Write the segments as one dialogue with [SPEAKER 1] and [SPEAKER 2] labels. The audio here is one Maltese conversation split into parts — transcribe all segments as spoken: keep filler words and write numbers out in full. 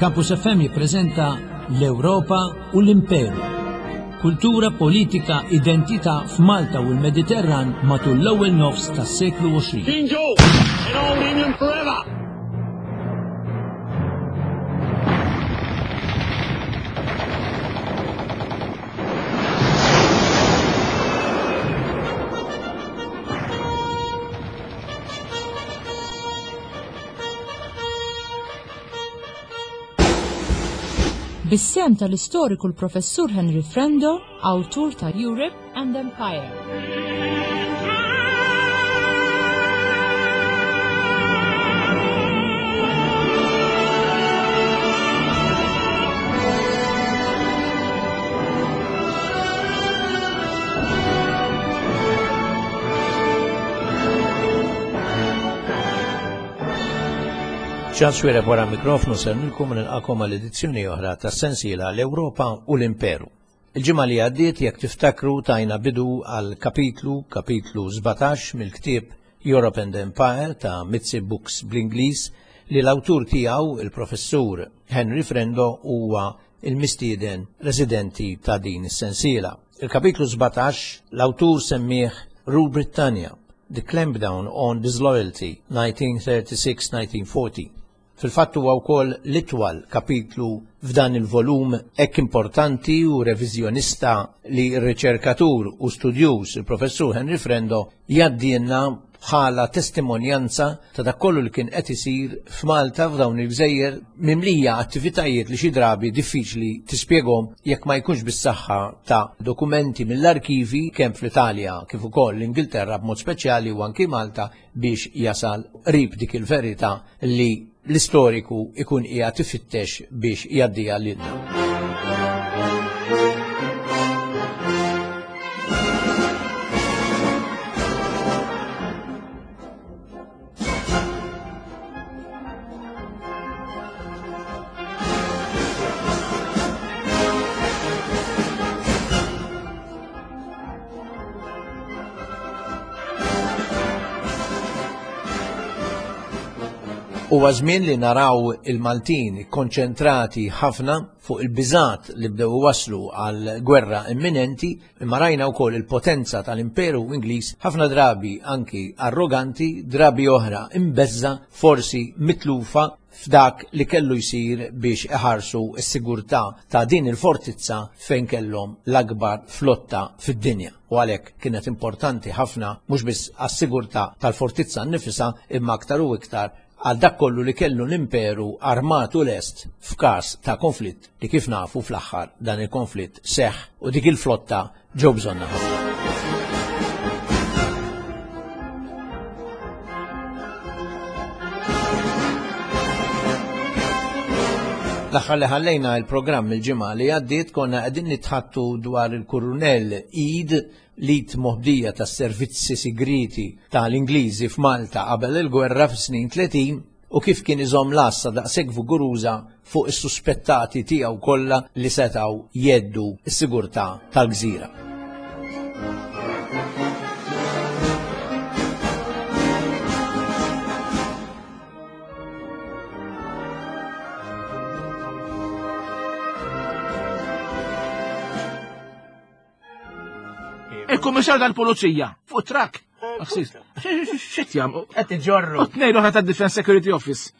[SPEAKER 1] Campus F M jippreżenta l-Ewropa u l-Imperu. Kultura, politika, identità f'Malta u l-Mediterran matul l-ewwel nofs tas-seklu għoxrin.
[SPEAKER 2] King George in Old England forever!
[SPEAKER 3] Bis-sem tal-istoriku l-Professur Henry Frendo, awtur ta' Europe and Empire.
[SPEAKER 4] Charles Xuereb wara mikrofonu ser nilkom nilqakom għal edizzjoni oħra ta' sensiela l-Ewropa u l-Imperu. Il-ġimgħa li għaddiet jekk tiftakru tajna bidu għal kapitlu, kapitlu sbatax mill-ktieb Europe and Empire ta' Mizzi Books bl-Ingliż li l-awtur tiegħu il-professur Henry Frendo huwa il-mistieden residenti ta' din is-sensiela. Il-kapitlu sbatax l-awtur semmih Rule Britannia, The Clampdown on Disloyalty nineteen thirty-six nineteen forty. Fil-fatt huwa wkoll l-itwal kapitlu f'dan il-volum hekk importanti u reviżjonista li r-riċerkatur u studjuż il-professur Henry Frendo jgħaddilna bħala testimonjanza ta' dak kollu li kien qed isir f'Malta f'dawn il-gżejjer mimlija attivitajiet li xi drabi diffiċli tispjegahom jekk ma jkunx bis-saħħa ta' dokumenti mill-arkivi kemm fl-Italja kif ukoll l-Ingilterra b'mod speċjali u anki Malta biex jasal qrib dik il-verità li l-istoriku ikun qiegħed ifittex biex jgħaddiha lilna. Huwa żmien li naraw il-Maltin konċentrati ħafna fuq il-biżat li bdew waslu għal gwerra imminenti, imma rajna wkoll il-potenza tal-Imperu Ingliż ħafna drabi anki arroganti, drabi oħra imbeżza, forsi mitlufa f'dak li kellu jsir biex iħarsu s-sigurtà ta' din il-fortizza fejn kellhom l-akbar flotta fid-dinja. U għalhekk kienet importanti ħafna mhux biss għas-sigurtà tal-fortizza nnifisha imma aktar u iktar għal dak kollu li kellu l-imperu armatu lest f'każ ta' konflitt li kif nafu fl-aħħar dan il-konflitt seħħ u dik il-flotta ġew bżonna ħafna. L-aħħar li ħallejna il-programm il-ġimgħa li għaddiet konna qegħdin nitħattu dwar il-Kurunell Eade li tmoħdija tas-servizzi sigriti tal-Ingliżi f'Malta qabel il-gwerra fis-snin tletin u kif kien iżomm l-għassa daqshekk viguruża fuq is-suspettati tiegħu kollha li setgħu jeddu s-sigurtà tal-gżira.
[SPEAKER 5] Il-kummissar tal-Pulizija fuq trakk. Aksis, x'qed jagħmlu?
[SPEAKER 6] Qed iġorru.
[SPEAKER 5] U tnejn oħra tad-Defense Security Office.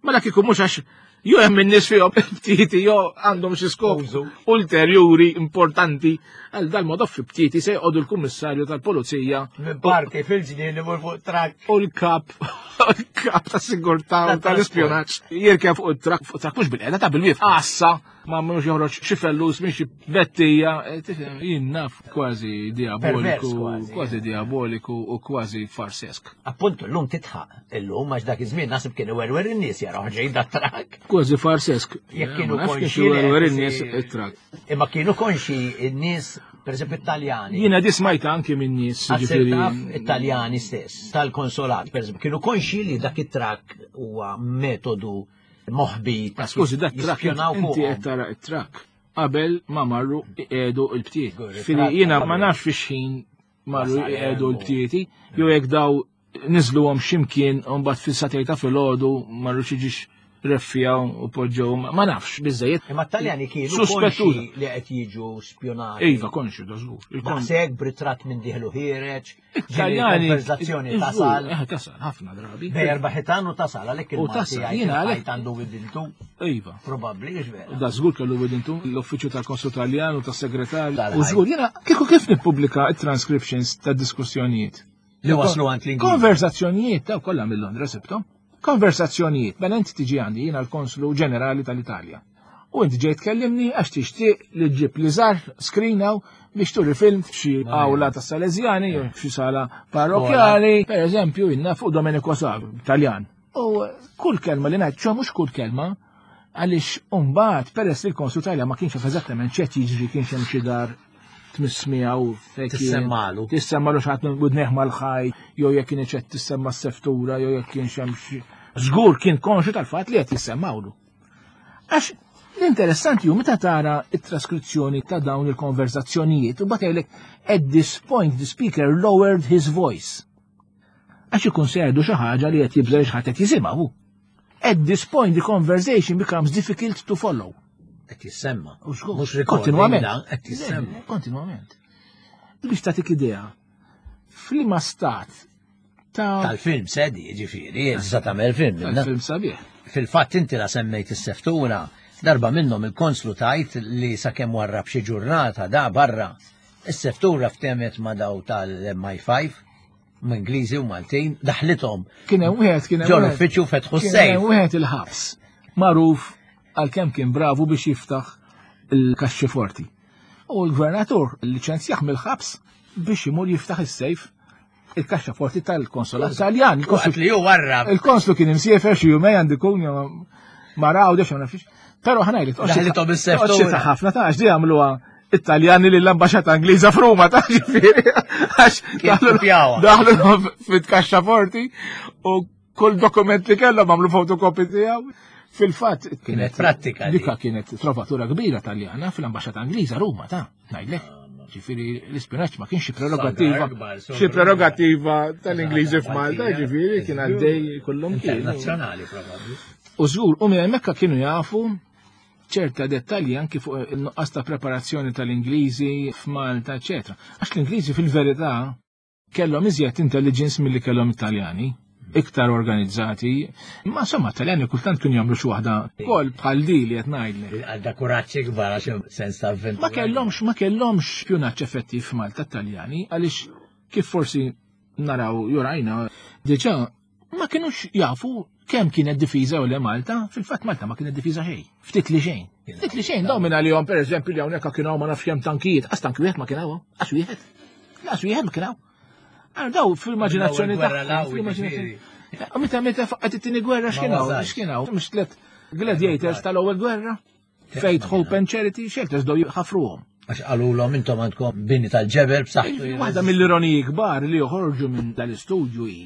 [SPEAKER 5] Mela kieku mhux għax jew hemm in-nies fihom btieti jew għandhom xi skop
[SPEAKER 6] Użu.
[SPEAKER 5] ulterjuri importanti għal dal-mod fi btieti se jqogħdu l-Kummissarju tal-Pulizija
[SPEAKER 6] Minn parti fil-ġnien li mur fuq trakk.
[SPEAKER 5] U l-kap, l-kap tas-sigurtà u tal-ispjonaġġ jirkeb fuq it-trakk, fuq trakk mhux bil-qiegħda ta' bil-wieqf. Għassa ma mhux joħroġ xi fellus minn xi bettija, eh, tifhem, jien naf kważi diaboliku,
[SPEAKER 6] Pervers kważi.
[SPEAKER 5] kważi diaboliku u kważi farsesk.
[SPEAKER 6] Appuntu llum titħaq, illum għax dak iż-żmien naħseb kienu werwer in-nies jaraw ġej dat trakk.
[SPEAKER 5] Kważi farsesk.
[SPEAKER 6] Jekk
[SPEAKER 5] Eh,
[SPEAKER 6] kienu
[SPEAKER 5] ma nafx
[SPEAKER 6] konxi
[SPEAKER 5] kif werwer
[SPEAKER 6] li
[SPEAKER 5] in-nies
[SPEAKER 6] si-
[SPEAKER 5] it-trakk.
[SPEAKER 6] Imma kienu konxi in-nies, per eżempju Italjani.
[SPEAKER 5] Jiena di smajta anki minn nies,
[SPEAKER 6] Għasir
[SPEAKER 5] ġifieri.
[SPEAKER 6] taf Italjani stess, tal-konsolat, per eżempju, kienu konxi li dak it-trakk huwa metodu moħbi ta'
[SPEAKER 5] Skużi, dak trakk
[SPEAKER 6] jispjonaw
[SPEAKER 5] inti
[SPEAKER 6] fuqhom.
[SPEAKER 5] qed tara it-trakk qabel ma marru iqiegħdu l-btiet.
[SPEAKER 6] Gurri,
[SPEAKER 5] Fili
[SPEAKER 6] trakk
[SPEAKER 5] jiena
[SPEAKER 6] qabel.
[SPEAKER 5] ma nafx fi xħin marru
[SPEAKER 6] Wasal
[SPEAKER 5] iqiegħdu
[SPEAKER 6] hemm u-
[SPEAKER 5] l-btieti, jew jekk daw niżluhom x'imkien u mbagħad fis-satej ta' filgħodu marru xi ġiex Reffijaw u poġġew, ma nafx, biżejjed.
[SPEAKER 6] Imma t-Taljani kienu konxi li qed jiġu spjonati.
[SPEAKER 5] Iva, konxi, da żgur.
[SPEAKER 6] Daqshekk b'ritratt minn dieħlu ħiereġ.
[SPEAKER 5] Taljani.
[SPEAKER 6] Konverzazzjoni tasal.
[SPEAKER 5] Eh, tasal, ħafna drabi.
[SPEAKER 6] Bej erba' ħitan u tasal, għalhekk il-Malti
[SPEAKER 5] jiena għalhekk
[SPEAKER 6] għandu widintu.
[SPEAKER 5] Iva.
[SPEAKER 6] Probabbli, vera.
[SPEAKER 5] Da żgur kellu widintu l-uffiċċju tal-Konsul Taljan u tas-segretarju. U żgur jiena kieku kif nippubblika t-transcriptions tad-diskussjonijiet.
[SPEAKER 6] Li waslu għand l-Ingliż.
[SPEAKER 5] Konversazzjonijiet ta' kollha mill-Londra sibthom. Konversazzjonijiet, mela inti tiġi għandi jiena l-Konslu Ġenerali tal-Italja. U inti ġejt tkellimni għax tixtieq li ġġib li żgħar screen hawn biex turi film f'xi awla tas-Salesjani jew f'xi sala parrokjali, per eżempju, jiena fuq Domenico Savio, Taljan. U kull kelma li ngħid, ċo mhux kull kelma, għaliex mbagħad peress li l-Konslu Taljan ma kienx jaf eżattament x'qed jiġri, kienx hemm xi dar tmiss miegħu fejn kien.
[SPEAKER 6] Tissemmalu.
[SPEAKER 5] Tissemmalu xi ħadd minn widnejh mal-ħaj, jew jekk kien qed tissemma s-seftura, jew jekk kienx hemm xi. Żgur kien konxju tal-fatt li qed jissemmawlu. Għax l-interessanti hu meta tara t-traskrizzjoni ta' dawn il-konverzazzjonijiet u mbagħad jgħidlek at this point the speaker lowered his voice. Għax ikun se jgħidu xi ħaġa li qed jibża' xi ħadd qed jisimgħu. At this point the conversation becomes difficult to follow.
[SPEAKER 6] Qed jissemma.
[SPEAKER 5] U żgur.
[SPEAKER 6] Mhux recording,
[SPEAKER 5] Kontinwament.
[SPEAKER 6] da, qed jissemma.
[SPEAKER 5] Kontinwament. Biex tagħtik idea, f'liema stat ta'
[SPEAKER 6] Tal-film sedi, ġifieri, issa tagħmel film.
[SPEAKER 5] Tal-film sabiħ.
[SPEAKER 6] Fil-fatt inti la semmejt is-seftura, darba minnhom il-konslu tajt li sakemm warrab xi ġurnata da barra. Is-seftura ftemet ma' daw tal-M I five, Ingliżi u Maltin, daħlithom.
[SPEAKER 5] Kien hemm wieħed, kien hemm
[SPEAKER 6] Ġol
[SPEAKER 5] wieħed.
[SPEAKER 6] uffiċċju fetħu
[SPEAKER 5] Kien
[SPEAKER 6] s-sejf.
[SPEAKER 5] hemm wieħed il-ħabs, magħruf għalkemm kien bravu biex jiftaħ il-kaxxi forti. U l-gvernatur liċenzjah mill-ħabs biex imur jiftaħ is-sejf il-kaxxa forti tal-konsolat Taljan.
[SPEAKER 6] Waqt li hu warrab.
[SPEAKER 5] Il-konslu kien imsiefer xi jumej għandi kun jew ma raw dex ma nafx. Però ħanajli,
[SPEAKER 6] Daħlithom is-sejf
[SPEAKER 5] toqgħodx
[SPEAKER 6] tura.
[SPEAKER 5] ta' ħafna ta' għax di għamluha Italjani lill-ambaxxata Ingliża f'Ruma ta' ġifieri. Għax
[SPEAKER 6] Kien
[SPEAKER 5] daħlu
[SPEAKER 6] kopjawha.
[SPEAKER 5] daħlu fit-kaxxa forti u kull dokument li kellhom għamlu fotokopi tiegħu. Fil-fatt
[SPEAKER 6] kienet prattika di.
[SPEAKER 5] Dika kienet trovatura kbira Taljana fl-ambaxxata Ingliża Ruma ta' ngħidlek. Ġifieri l-ispinaċ ma kienx xi prerogattiva,
[SPEAKER 6] Sagar kbar,
[SPEAKER 5] xi prerogattiva tal-Ingliżi
[SPEAKER 6] Sagar
[SPEAKER 5] f'Malta,
[SPEAKER 6] Maltija.
[SPEAKER 5] ġifieri kien għaddej kullum kien.
[SPEAKER 6] Internazzjonali probabbli.
[SPEAKER 5] U żgur, u minn hemmhekk kienu jafu ċerta dettalji anki fuq il-nuqqas ta' preparazzjoni tal-Ingliżi f'Malta, eċetera. Għax l-Ingliżi fil-verità kellhom iżjed intelligence milli kellhom Italjani, iktar organizzati. Ma insomma, Taljani kultant kienu jagħmlu xi waħda kol bħal di li qed ngħidlek.
[SPEAKER 6] Għadda kuraġġ ikbar għax hemm sens ta' avventura.
[SPEAKER 5] Ma kellhomx, ma kellhomx spjunaġġ effettiv f'Malta Taljani għaliex kif forsi naraw jurajna diġà ma kinux jafu kemm kienet difiża u le Malta, fil-fatt Malta ma kienet difiża xejn. Ftit li xejn. Ftit li xejn, dawn minn għalihom pereżempju li hawnhekk kienu hawn ma nafx kemm tankijiet, qas tanki wieħed ma kien hawn, qas wieħed. Qas wieħed ma kien hawn. Għal daw fil-immaġinazzjoni
[SPEAKER 6] L-ewwel gwerra
[SPEAKER 5] tagħhom,
[SPEAKER 6] l-għawi,
[SPEAKER 5] fil-immaġinazzjoni.
[SPEAKER 6] ġifieri.
[SPEAKER 5] U meta meta faqgħet it-tieni gwerra x'kien hawn?
[SPEAKER 6] Ma wasalx.
[SPEAKER 5] X'kien hawn? Mhux tliet gladiators tal-ewwel gwerra? Faith, Hope and Charity, shelters daw ħafruhom.
[SPEAKER 6] Għax qalulhom intom għandkom bini tal-ġebel b'saħħtu.
[SPEAKER 5] Waħda mill-ironiji kbar li joħorġu minn dal-istudju hi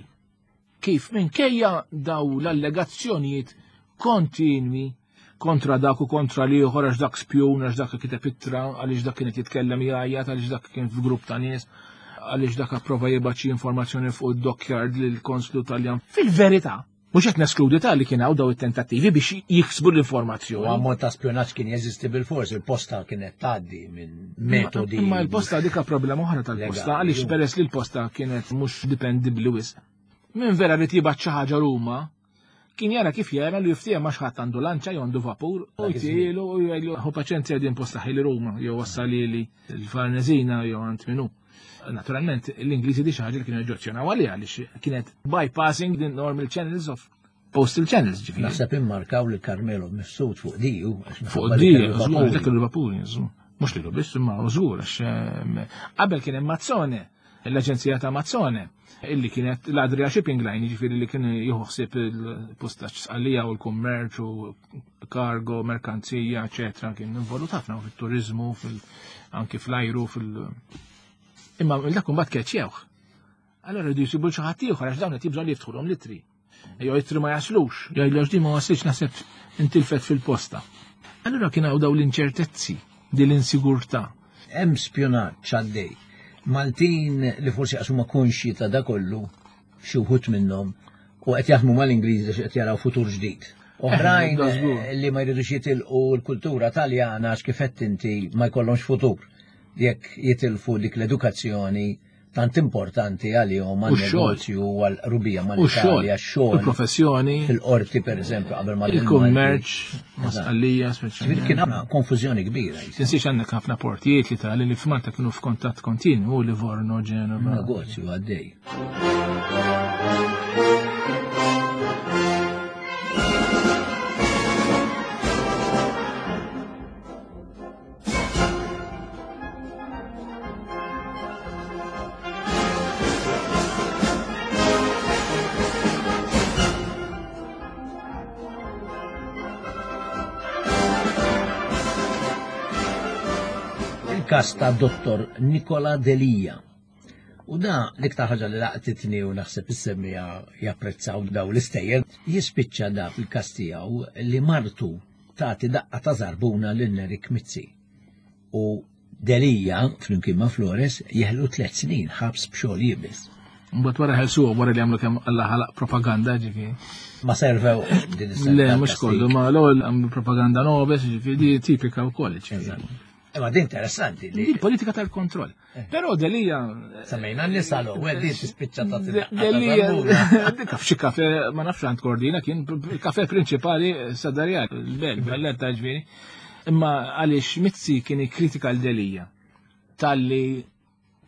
[SPEAKER 5] kif minkejja daw l-allegazzjonijiet kontinwi kontra dak u kontra li ieħor għax dak spjun, għax dak kiteb ittra, għaliex dak kienet jitkellem jgħajjat, għaliex dak kien f'grupp ta' nies, għaliex dak approva jibgħat xi informazzjoni fuq id-dockyard lill-konslu Taljan. Fil-verità, mhux qed neskludi ta' li kien hawn daw it-tentattivi biex jiksbu l-informazzjoni.
[SPEAKER 6] U ammont ta' spjonaġġ kien jeżisti bil-fors, il-posta kienet tgħaddi minn metodi.
[SPEAKER 5] Imma l-posta dika problema oħra tal-posta,
[SPEAKER 6] Legali,
[SPEAKER 5] għaliex
[SPEAKER 6] ju.
[SPEAKER 5] peress li l-posta kienet mhux dipendibbli wisq. Min vera rid jibgħat xi ħaġa Ruma, kien jara kif jara li jiftiehem ma xi ħadd għandu lanċa jew għandu vapur, u
[SPEAKER 6] Dak iż-żmien.
[SPEAKER 5] jtielu u jgħidlu ħu paċenzja din posta ħili Ruma, jew wassalili l-Farnesina jew għand minu. Naturalment, l-Ingliżi di xi ħaġa li kienu joġġezzjonaw għaliha għaliex kienet bypassing the normal channels of postal channels, ġifieri.
[SPEAKER 6] Naħseb immarkaw li Carmelo Mifsud fuq di, u għax
[SPEAKER 5] Fuq
[SPEAKER 6] minħabba li
[SPEAKER 5] di,
[SPEAKER 6] kellu
[SPEAKER 5] żgur,
[SPEAKER 6] vapuri.
[SPEAKER 5] dak il-vapuri, żgur. Mhux lilu biss, imma żgur, għax, ehm, qabel kien hemm Mazzone, l-aġenzija ta' Mazzone, illi kienet l-Adria Shipping Line, jiġifieri li kien jieħu ħsieb il-postaġġ sqallija u l-kummerċ u kargo, merkanzija, eċetera, kien involut ħafna fit-turizmu, fil-, anki fl-ajru, fil- Imma dak imbagħad keċċewh. Allora rridu jsibu xi ħadd ieħor għax dawn qed jibżgħu li jiftħulhom l-ittri. Jew ittri ma jaslux, jgħidlu għax din ma waslitx naħseb intilfet fil-posta. Allura kien hawn dawn l-inċertezzi, din l-insigurtà.
[SPEAKER 6] Hemm spjunaġġ għaddej. Maltin li forsi qasuma konxji ta' da kollu, xi wħud minnhom, u qed jaħdmu mal-Ingliżi għax qed jaraw futur ġdid. Oħrajn
[SPEAKER 5] Da żgur.
[SPEAKER 6] li ma jridux jitilqu l-kultura taljana għax kif qed inti ma jkollhomx futur. Jekk jitilfu dik l-edukazzjoni tant importanti għalihom
[SPEAKER 5] U x-xogħol.
[SPEAKER 6] għal-negozju u għal-rubija
[SPEAKER 5] U x-xogħol,
[SPEAKER 6] mal-Italja, x-xogħol.
[SPEAKER 5] il-professjoni,
[SPEAKER 6] Fil-qorti per eżempju qabel ma
[SPEAKER 5] il-kummerċ, ma'
[SPEAKER 6] Eżatt.
[SPEAKER 5] Sqallija,
[SPEAKER 6] Ġifieri
[SPEAKER 5] speċjalment.
[SPEAKER 6] kien hemm konfużjoni kbira.
[SPEAKER 5] Tinsiex għandek ħafna portijiet li tali li f'Malta kienu f'kontatt kontinu, Livorno, Genova.
[SPEAKER 6] Negozju għaddej. Il-kas ta' Dottor Nicola Delia. U da l-iktar ħaġa li laqtitni u naħseb is-semmija japprezzaw daw l-istejjer, jispiċċa da fil-kas tiegħu li martu tagħti daqqa ta' zarbuna lil Nerik Mizzi. U Delia, flimkien ma' Flores, jeħlu tliet snin ħabs b'xogħol iebes.
[SPEAKER 5] Mbagħad wara ħelsuhom wara li għamlu kemm Alla ħalaq propaganda ġifieri.
[SPEAKER 6] Ma servew din is-sena.
[SPEAKER 5] Le, mhux kollu, ma l-ewwel għamlu propaganda nobes, ġifieri di tipika wkoll ġifieri.
[SPEAKER 6] Imma din interessanti li
[SPEAKER 5] Di politika tal-kontroll. Però Delia
[SPEAKER 6] semmejna n-nisa l-ewwel din tispiċċa tagħti daqqa ta'
[SPEAKER 5] Delia
[SPEAKER 6] zarbuna.
[SPEAKER 5] dik f'xi kafe ma nafx għand Kordina kien il-kafe prinċipali Sadarjal, il-Bel, Valletta ġifieri. Imma għaliex Mizzi kien ikkritika l-Delia talli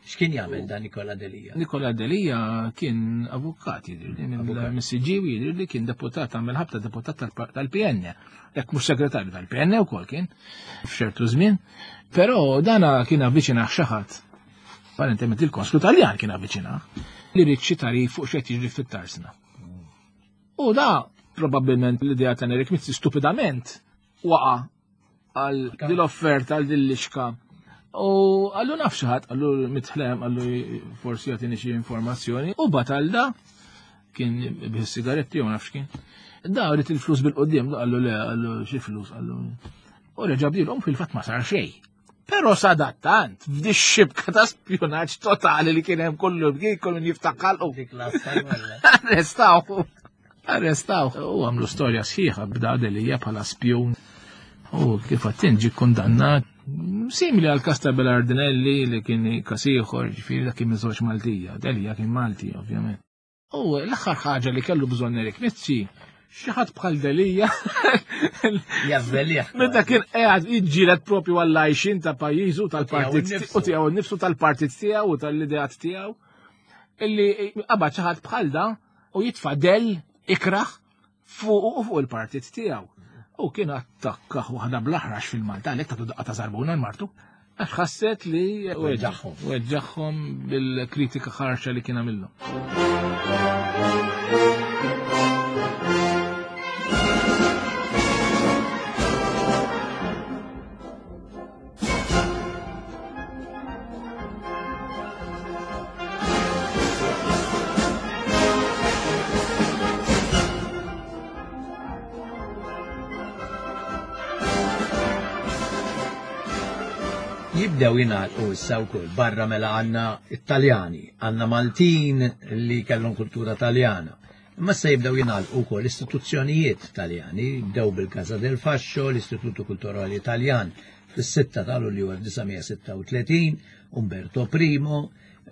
[SPEAKER 6] X'kien jagħmel dan Nikola Delia?
[SPEAKER 5] Nikola Delia kien avukat jidhirli, minn Siġġiewi jidhirli kien deputat, għamel ħabta deputat tal- tal-P N, jekk mhux segretarju tal-P N wkoll kien f'ċertu żmien. Però dana kien avviċinah xi ħadd. Apparentement il-konslu Taljan kien avviċinah li ried xi tarif fuq x'qed jiġri fit-tarsna. U da probabbilment l-idea ta' Nerik Mizzi stupidament waqa' għal dil-offerta għal dil-lixka. U għallu naf xi ħadd, għallu mitħlem, għallu forsi jagħtini xi informazzjoni. U batal da kien bih sigaretti jew nafx kien. Da rrit il-flus bil-qoddim, għallu le, għallu xi flus, għallu. U reġa' bdilhom fil-fatt ma sar xejn. Però sadattant, f'di xibka ta' spjunaġġ totali li kien hemm kollu bkien kollu min jiftaħ ħalqu.
[SPEAKER 6] Dik l-asta
[SPEAKER 5] Arrestaw. Arrestaw. U għamlu storja sħiħa b'da Delia bħala spjun. U kif għattin ġi kundannat. Simili għal kas ta' Belardinelli li kien kas ieħor, ġifieri dak kien minn żewġ Maltija. Delia kien Malti, ovvjament. U l-aħħar ħaġa li kellu bżonn Erik Mizzi, xi ħadd bħal Delia
[SPEAKER 6] Javvelih.
[SPEAKER 5] Meta kien qiegħed jiġġieled propju għall-għajxin ta' pajjiżu tal-partit
[SPEAKER 6] Tiegħu nnifsu.
[SPEAKER 5] u tiegħu nnifsu tal-partit tiegħu u tal-ideat tiegħu illi qabad xi ħadd bħal da u jitfa' del ikraħ fuq u fuq il-partit tiegħu. U kien attakka waħda bl-aħrax fil-Malta, għalhekk tagħtu daqqa ta' zarbuna l-martu. Għax ħasset li
[SPEAKER 6] Weġġagħhom.
[SPEAKER 5] weġġagħhom bil-kritika ħarxa li kien għamilhom.
[SPEAKER 6] Jibdew jingħalqu issa wkoll barra mela għandna Italjani, għandna Maltin li kellhom kultura Taljana. Imma issa jibdew jingħalqu wkoll istituzzjonijiet Taljani, jibdew bil-Casa del Fascio, l-Istituto Kulturali Italjan fis-sitta ta' Lulju elf disa' mija sitta u tletin, Umberto Primo,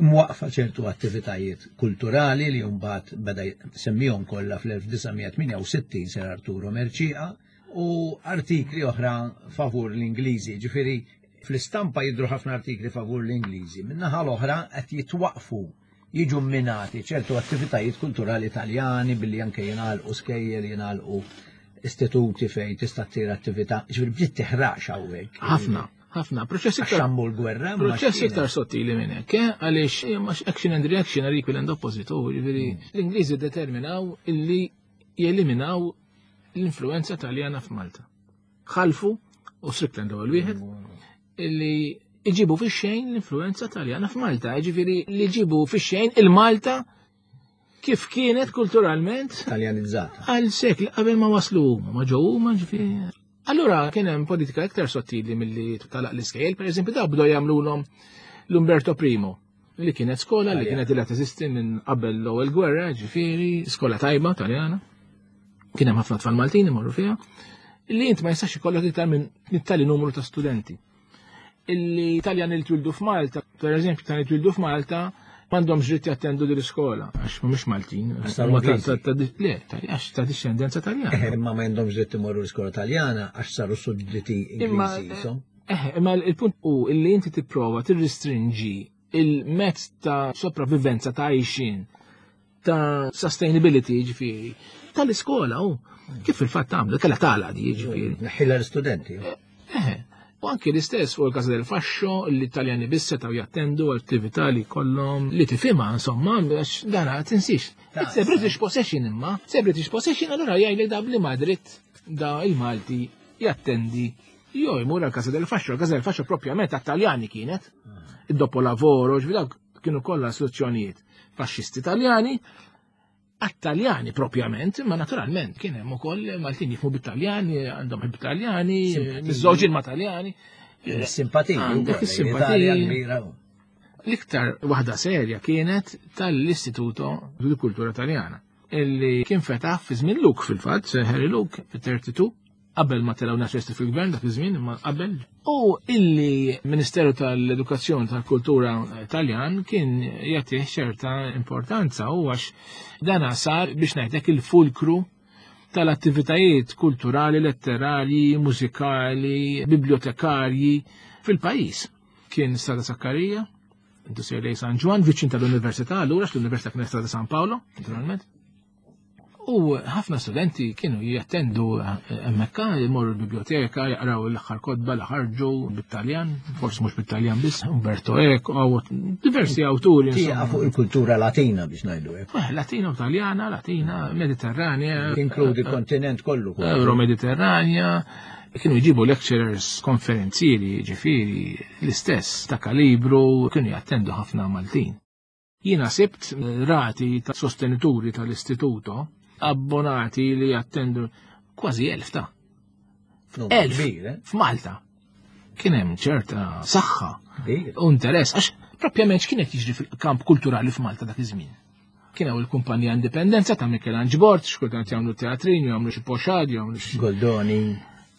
[SPEAKER 6] mwaqfa ċertu attivitajiet kulturali li mbagħad beda semmihom kollha fl-elf disa' mija tmienja u sittin Sir Arturo Mercieca u artikli oħra favur l-Ingliżi, ġifieri fl-istampa jidru ħafna artikli favur l-Ingliżi. Min-naħa l-oħra qed jitwaqfu jiġu minati ċertu attivitajiet kulturali Italjani billi anke jingħalqu skejjel, jingħalqu istituti fejn tista' ssir attività. Ġifieri bdiet tiħrax hawnhekk.
[SPEAKER 5] Ħafna, ħafna. Proċess
[SPEAKER 6] Għax
[SPEAKER 5] iktar
[SPEAKER 6] xammu l-gwerra. ma
[SPEAKER 5] Proċess
[SPEAKER 6] x'kienet.
[SPEAKER 5] iktar sottili minn hekk, eh? Għaliex eh, mhux action and reaction are equal and opposite, u ġifieri l-Ingliżi determinaw illi jeliminaw l-influenza Taljana f'Malta. Ħalfu u Strickland ewwel wieħed illi iġibu fix-xejn l-influenza Taljana f'Malta, ġifieri li ġibu fix-xejn il-Malta kif kienet kulturalment
[SPEAKER 6] Taljanizzata.
[SPEAKER 5] għal sekli qabel ma waslu huma, ma ġew huma ġifieri. Allura kien hemm politika iktar sottili milli talaq l-iskejjel, pereżempju daw bdew jagħmluhom l-Umberto Primo li kienet skola li kienet ilha teżisti minn qabel l-ewwel gwerra, ġifieri, skola tajba Taljana. Kien hemm ħafna tfal Maltin imorru fiha, illi int ma jistax ikollok iktar minn tali numru ta' studenti. Illi Taljan li twildu f'Malta, per eżempju, Taljan twildu f'Malta, m'għandhomx dritt jattendu din l-iskola, għax mhumiex Maltin.
[SPEAKER 6] Saru
[SPEAKER 5] Huma ta'
[SPEAKER 6] Ingliżi.
[SPEAKER 5] ta' ta' le, ta' għax ta' discendenza Taljana.
[SPEAKER 6] Eh, Imma ma għandhomx dritt imorru l-iskola Taljana għax saru sudditi
[SPEAKER 5] Imma
[SPEAKER 6] Ingliżi. jisom.
[SPEAKER 5] Eh, imma il-punt hu illi inti tipprova tirrestringi il-mezz ta' sopravivenza ta' għajxin ta' sustainability ġifieri tal-iskola u kif fil-fatt għamlu kellha tagħlaq di ġifieri.
[SPEAKER 6] Neħħilha l-istudenti.
[SPEAKER 5] Eh, u anki l-istess fuq il-Casa del Fascio, l-Italjani biss setgħu jattendu attività li kollhom li tifhimha insomma, għax dana tinsix. It's a British possession imma, it's a British possession, allura jgħidlek da bli Madrid da il-Malti jattendi jew jmur għal Casa del Fascio, il-Casa del Fascio propjament għat-Taljani kienet, id-Dopolavoro, ġifieri dawk kienu kollha istituzzjonijiet faxxisti Taljani, għat-Taljani propjament, ma naturalment kien hemm ukoll Maltin jifhmu bit-Taljani, għandhom ħbieb Taljani,
[SPEAKER 6] Simpatiji.
[SPEAKER 5] miżżewġin ma' Taljani.
[SPEAKER 6] Simpatiji.
[SPEAKER 5] Għandek
[SPEAKER 6] ukoll,
[SPEAKER 5] is-simpatiji.
[SPEAKER 6] l-Italja kbira.
[SPEAKER 5] L-iktar waħda serja kienet tal-Istituto di Kultura Taljana, illi kien fetaħ fi żmien Luke fil-fatt, Sir Harry Luke fit-tletin, qabel ma telgħu nazzjonalisti fil-gvern dak iż-żmien, imma qabel. U illi Ministeru tal-Edukazzjoni tal-Kultura Taljan kien jagħtih ċerta importanza u għax dana sar biex ngħidlek il-fulkru tal-attivitajiet kulturali, letterarji, mużikali, bibliotekarji fil-pajjiż. Kien Strada Sakkarija, intu sejr lejn San Ġwann, viċin tal-Università, allura l-Università kienet Strada San Paolo, naturalment. U ħafna studenti kienu jattendu hemmhekk, jmorru l-biblioteka, jaqraw l-aħħar kotba li ħarġu bit-Taljan, forsi mhux bit-Taljan biss, Umberto Eco, diversi awturi.
[SPEAKER 6] Tieqa
[SPEAKER 5] insomma.
[SPEAKER 6] fuq il-kultura Latina biex ngħidu hekk.
[SPEAKER 5] Eh, Latina u Taljana, Latina, Mediterranea.
[SPEAKER 6] Tinkludi kontinent kollu. kważi.
[SPEAKER 5] Euro-Mediterranja, kienu jġibu lecturers, konferenzieri, ġifieri, l-istess ta' kalibru, kienu jattendu ħafna Maltin. Jiena sibt rati ta' sostenituri tal-istituto, abbonati li jattendu kważi elf ta'
[SPEAKER 6] Numru
[SPEAKER 5] elf
[SPEAKER 6] Kbir, eh?
[SPEAKER 5] f'Malta. Kien hemm ċerta saħħa
[SPEAKER 6] Kbir.
[SPEAKER 5] u interess, għax propjament x'kienet jiġri fil-kamp kulturali f'Malta dak iż-żmien. Kien hawn il-kumpanija Indipendenza ta' Michelangelo Borg, xkultant jagħmlu teatrin, jagħmlu xi poxad, jagħmlu xi
[SPEAKER 6] Goldoni.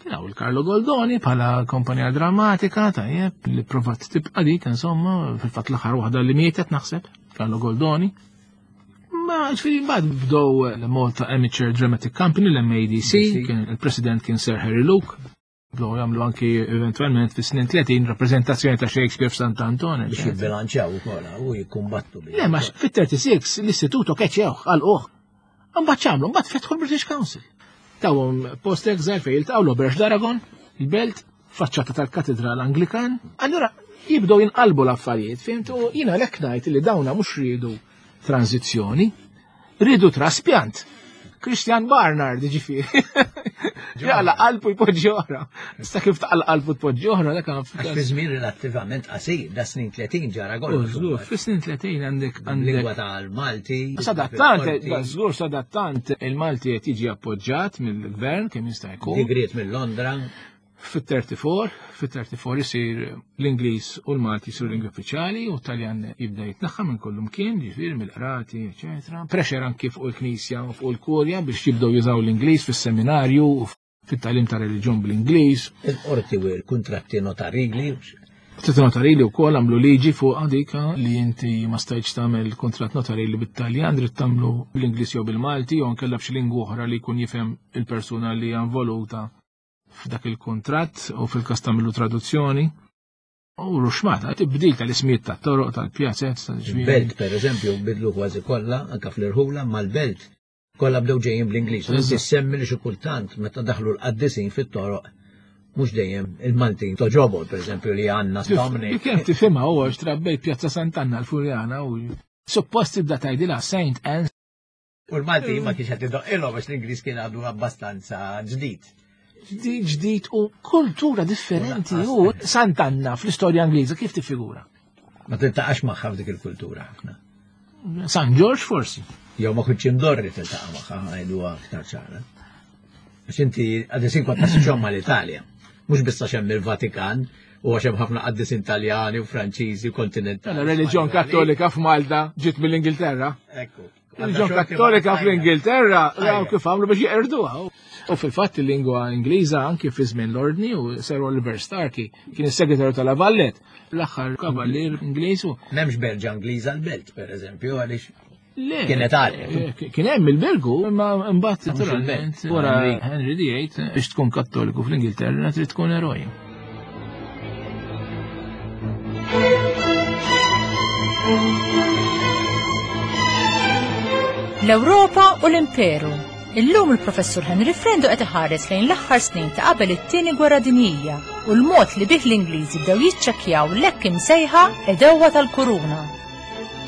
[SPEAKER 5] Kien hawn il-Carlo Goldoni bħala kompanija drammatika, tajjeb, li provat tibqa' dik, insomma, fil-fatt l-aħħar waħda li mietet naħseb, Carlo Goldoni. Ma ġifieri mbagħad bdew l-Malta Amateur Dramatic Company, l-M A D C, kien il-president kien Sir Harry Luke. Bdew jagħmlu anki eventualment fis-snin tletin rappreżentazzjoni ta' Shakespeare f'Sant'Anton.
[SPEAKER 6] Biex jibbilanċjaw ukoll u jikkumbattu bi.
[SPEAKER 5] Le, ma fit-tlieta u tletin l-istituto keċċewh, għalquh. Mbagħad x'għamlu, mbagħad fetħu l-British Council. Tawhom post exile fejn jiltaqgħu l-Auberge d'Aragon, il-belt, faċċata tal-Katedral Anglikan. Allura jibdew jinqalbu l-affarijiet, fhimt? U jiena lek ngħid li dawna mhux riedu tranzizzjoni, riedu traspjant. Christian Barnard, ġifieri. Jaqla' qalbu jpoġġi oħra. Issa kif taqla' qalbu tpoġġi oħra, dak
[SPEAKER 6] Għax fi żmien relattivament qasir, da snin tletin ġara
[SPEAKER 5] Oh,
[SPEAKER 6] kollox.
[SPEAKER 5] żgur, fis-snin tletin għandek għandek
[SPEAKER 6] Lingwa tal-Malti.
[SPEAKER 5] Sadattant,
[SPEAKER 6] fil-qorti,
[SPEAKER 5] żgur sadattant il-Malti qed jiġi appoġġjat mill-gvern kemm jista' jkun.
[SPEAKER 6] Digriet minn Londra.
[SPEAKER 5] Fit-tletin, fit-tletin isir l-Ingliż u l-Malti jisiru lingwi uffiċjali u t-Taljan jibda jitnaħħa minn kullum kien, ġifieri mill-qrati, eċetera. Pressure anki fuq il-Knisja u fuq il-Kurja biex jibdew jużaw l-Ingliż fis-seminarju u fit-tagħlim ta' reliġjon bl-Ingliż.
[SPEAKER 6] Il-qorti u l-kontratti notarili.
[SPEAKER 5] Kontratti notarili wkoll għamlu liġi fuq dik li inti ma stajtx tagħmel kontratt notarili bit-Taljan, trid tagħmlu bl-Ingliż jew bil-Malti jew nkella b'xi lingwa oħra li jkun jifhem il-persuna li hija involuta f'dak il-kontratt u fil-każ tagħmlu traduzzjoni. U ruxmata, tibdil tal-ismijiet tat-toroq, tal-pjazez, tal-ġmiel.
[SPEAKER 6] Belt, per eżempju, bidlu kważi kollha, anka fl-irħula, mal-belt. Kollha bdew ġejjin bl-Ingliż. U inti semmi li xi kultant meta daħlu l-qaddisin fit-toroq, mhux dejjem il-Maltin toġobol, per eżempju, li għandna Dominic.
[SPEAKER 5] Kemm tifhimha huwa għax trabbejt Pjazza Sant'Anna l-Furjana u suppost tibda tgħidilha Saint Anne.
[SPEAKER 6] U l-Malti ma kienx qed idoqqilhom għax l-Ingliż kien għadu abbastanza ġdid.
[SPEAKER 5] Ġdid ġdid u kultura differenti u Sant'Anna fl-istorja Ingliża kif tiffigura?
[SPEAKER 6] Ma tiltaqax magħha f'dik il-kultura ħafna.
[SPEAKER 5] San George forsi.
[SPEAKER 6] Jew ma kontx imdorri tiltaqa' magħha, ngħidu aktar ċara. Għax inti qaddisin kont tassoċjahom mal-Italja. Mhux biss għax hemm il-Vatikan u għax hemm ħafna qaddisin Taljani u Franċiżi u kontinentali.
[SPEAKER 5] Mela reliġjon Kattolika f'Malta ġiet mill-Ingilterra.
[SPEAKER 6] Ekku.
[SPEAKER 5] Il-Reliġjon Kattolika fl-Ingilterra raw kif għamlu biex jeqirduha. U fil-fatt il-lingwa Ingliża anki fi żmien l-Ordni u Sir Oliver Starkey kien is-segretarju tal-La Valette, l-aħħar kavallier Ingliż.
[SPEAKER 6] M'hemmx berġa Ingliża l-belt, pereżempju, għaliex kienet għalek.
[SPEAKER 5] Kien hemm il-Belgu, imma mbagħad naturalment wara Henry the Eighth biex tkun Kattoliku fl-Ingilterra trid tkun eroj.
[SPEAKER 3] L-Ewropa u l-Imperu. Illum il-Professur Henry Frendo qed iħares lejn l-aħħar snin ta' qabel it-tieni gwerra dinjija u l-mod li bih l-Ingliżi bdew jiċċekkjaw l-hekk imsejħa għedewwa tal-kuruna.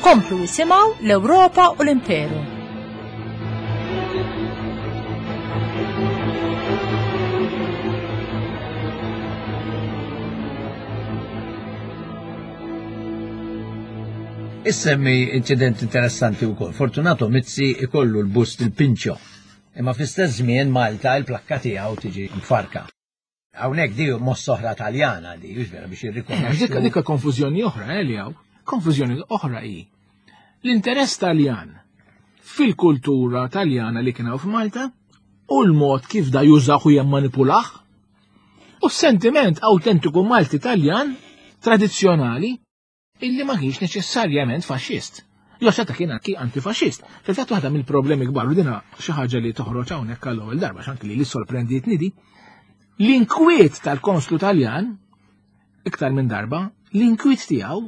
[SPEAKER 3] Komplu jisimgħu l-Ewropa u l-Imperu.
[SPEAKER 6] Issemmi inċident interessanti wkoll. Fortunato Mizzi ikollu l-bust il-Pinċo. Imma fl-istess żmien Malta il-plakka tiegħu tiġi mfarka. Hawnhekk di mossa oħra Taljana di, hux vera biex jirrikonoxxu.
[SPEAKER 5] Dik dik konfużjoni oħra eh, li hawn. Konfużjoni oħra hi. L-interess Taljan fil-kultura Taljana li kien hawn f'Malta u l-mod kif da jużah u jemmanipulah u s-sentiment autentiku Malti Taljan tradizzjonali illi ma kienx neċessarjament faxxist. Jo seta kien anki antifaxxist. Fil-fatt waħda mill-problemi kbar u dina xi ħaġa li toħroġ hawnhekk għall-ewwel darba x'anki li li sorprendietni di. L-inkwiet tal-konslu Taljan iktar minn darba, l-inkwiet tiegħu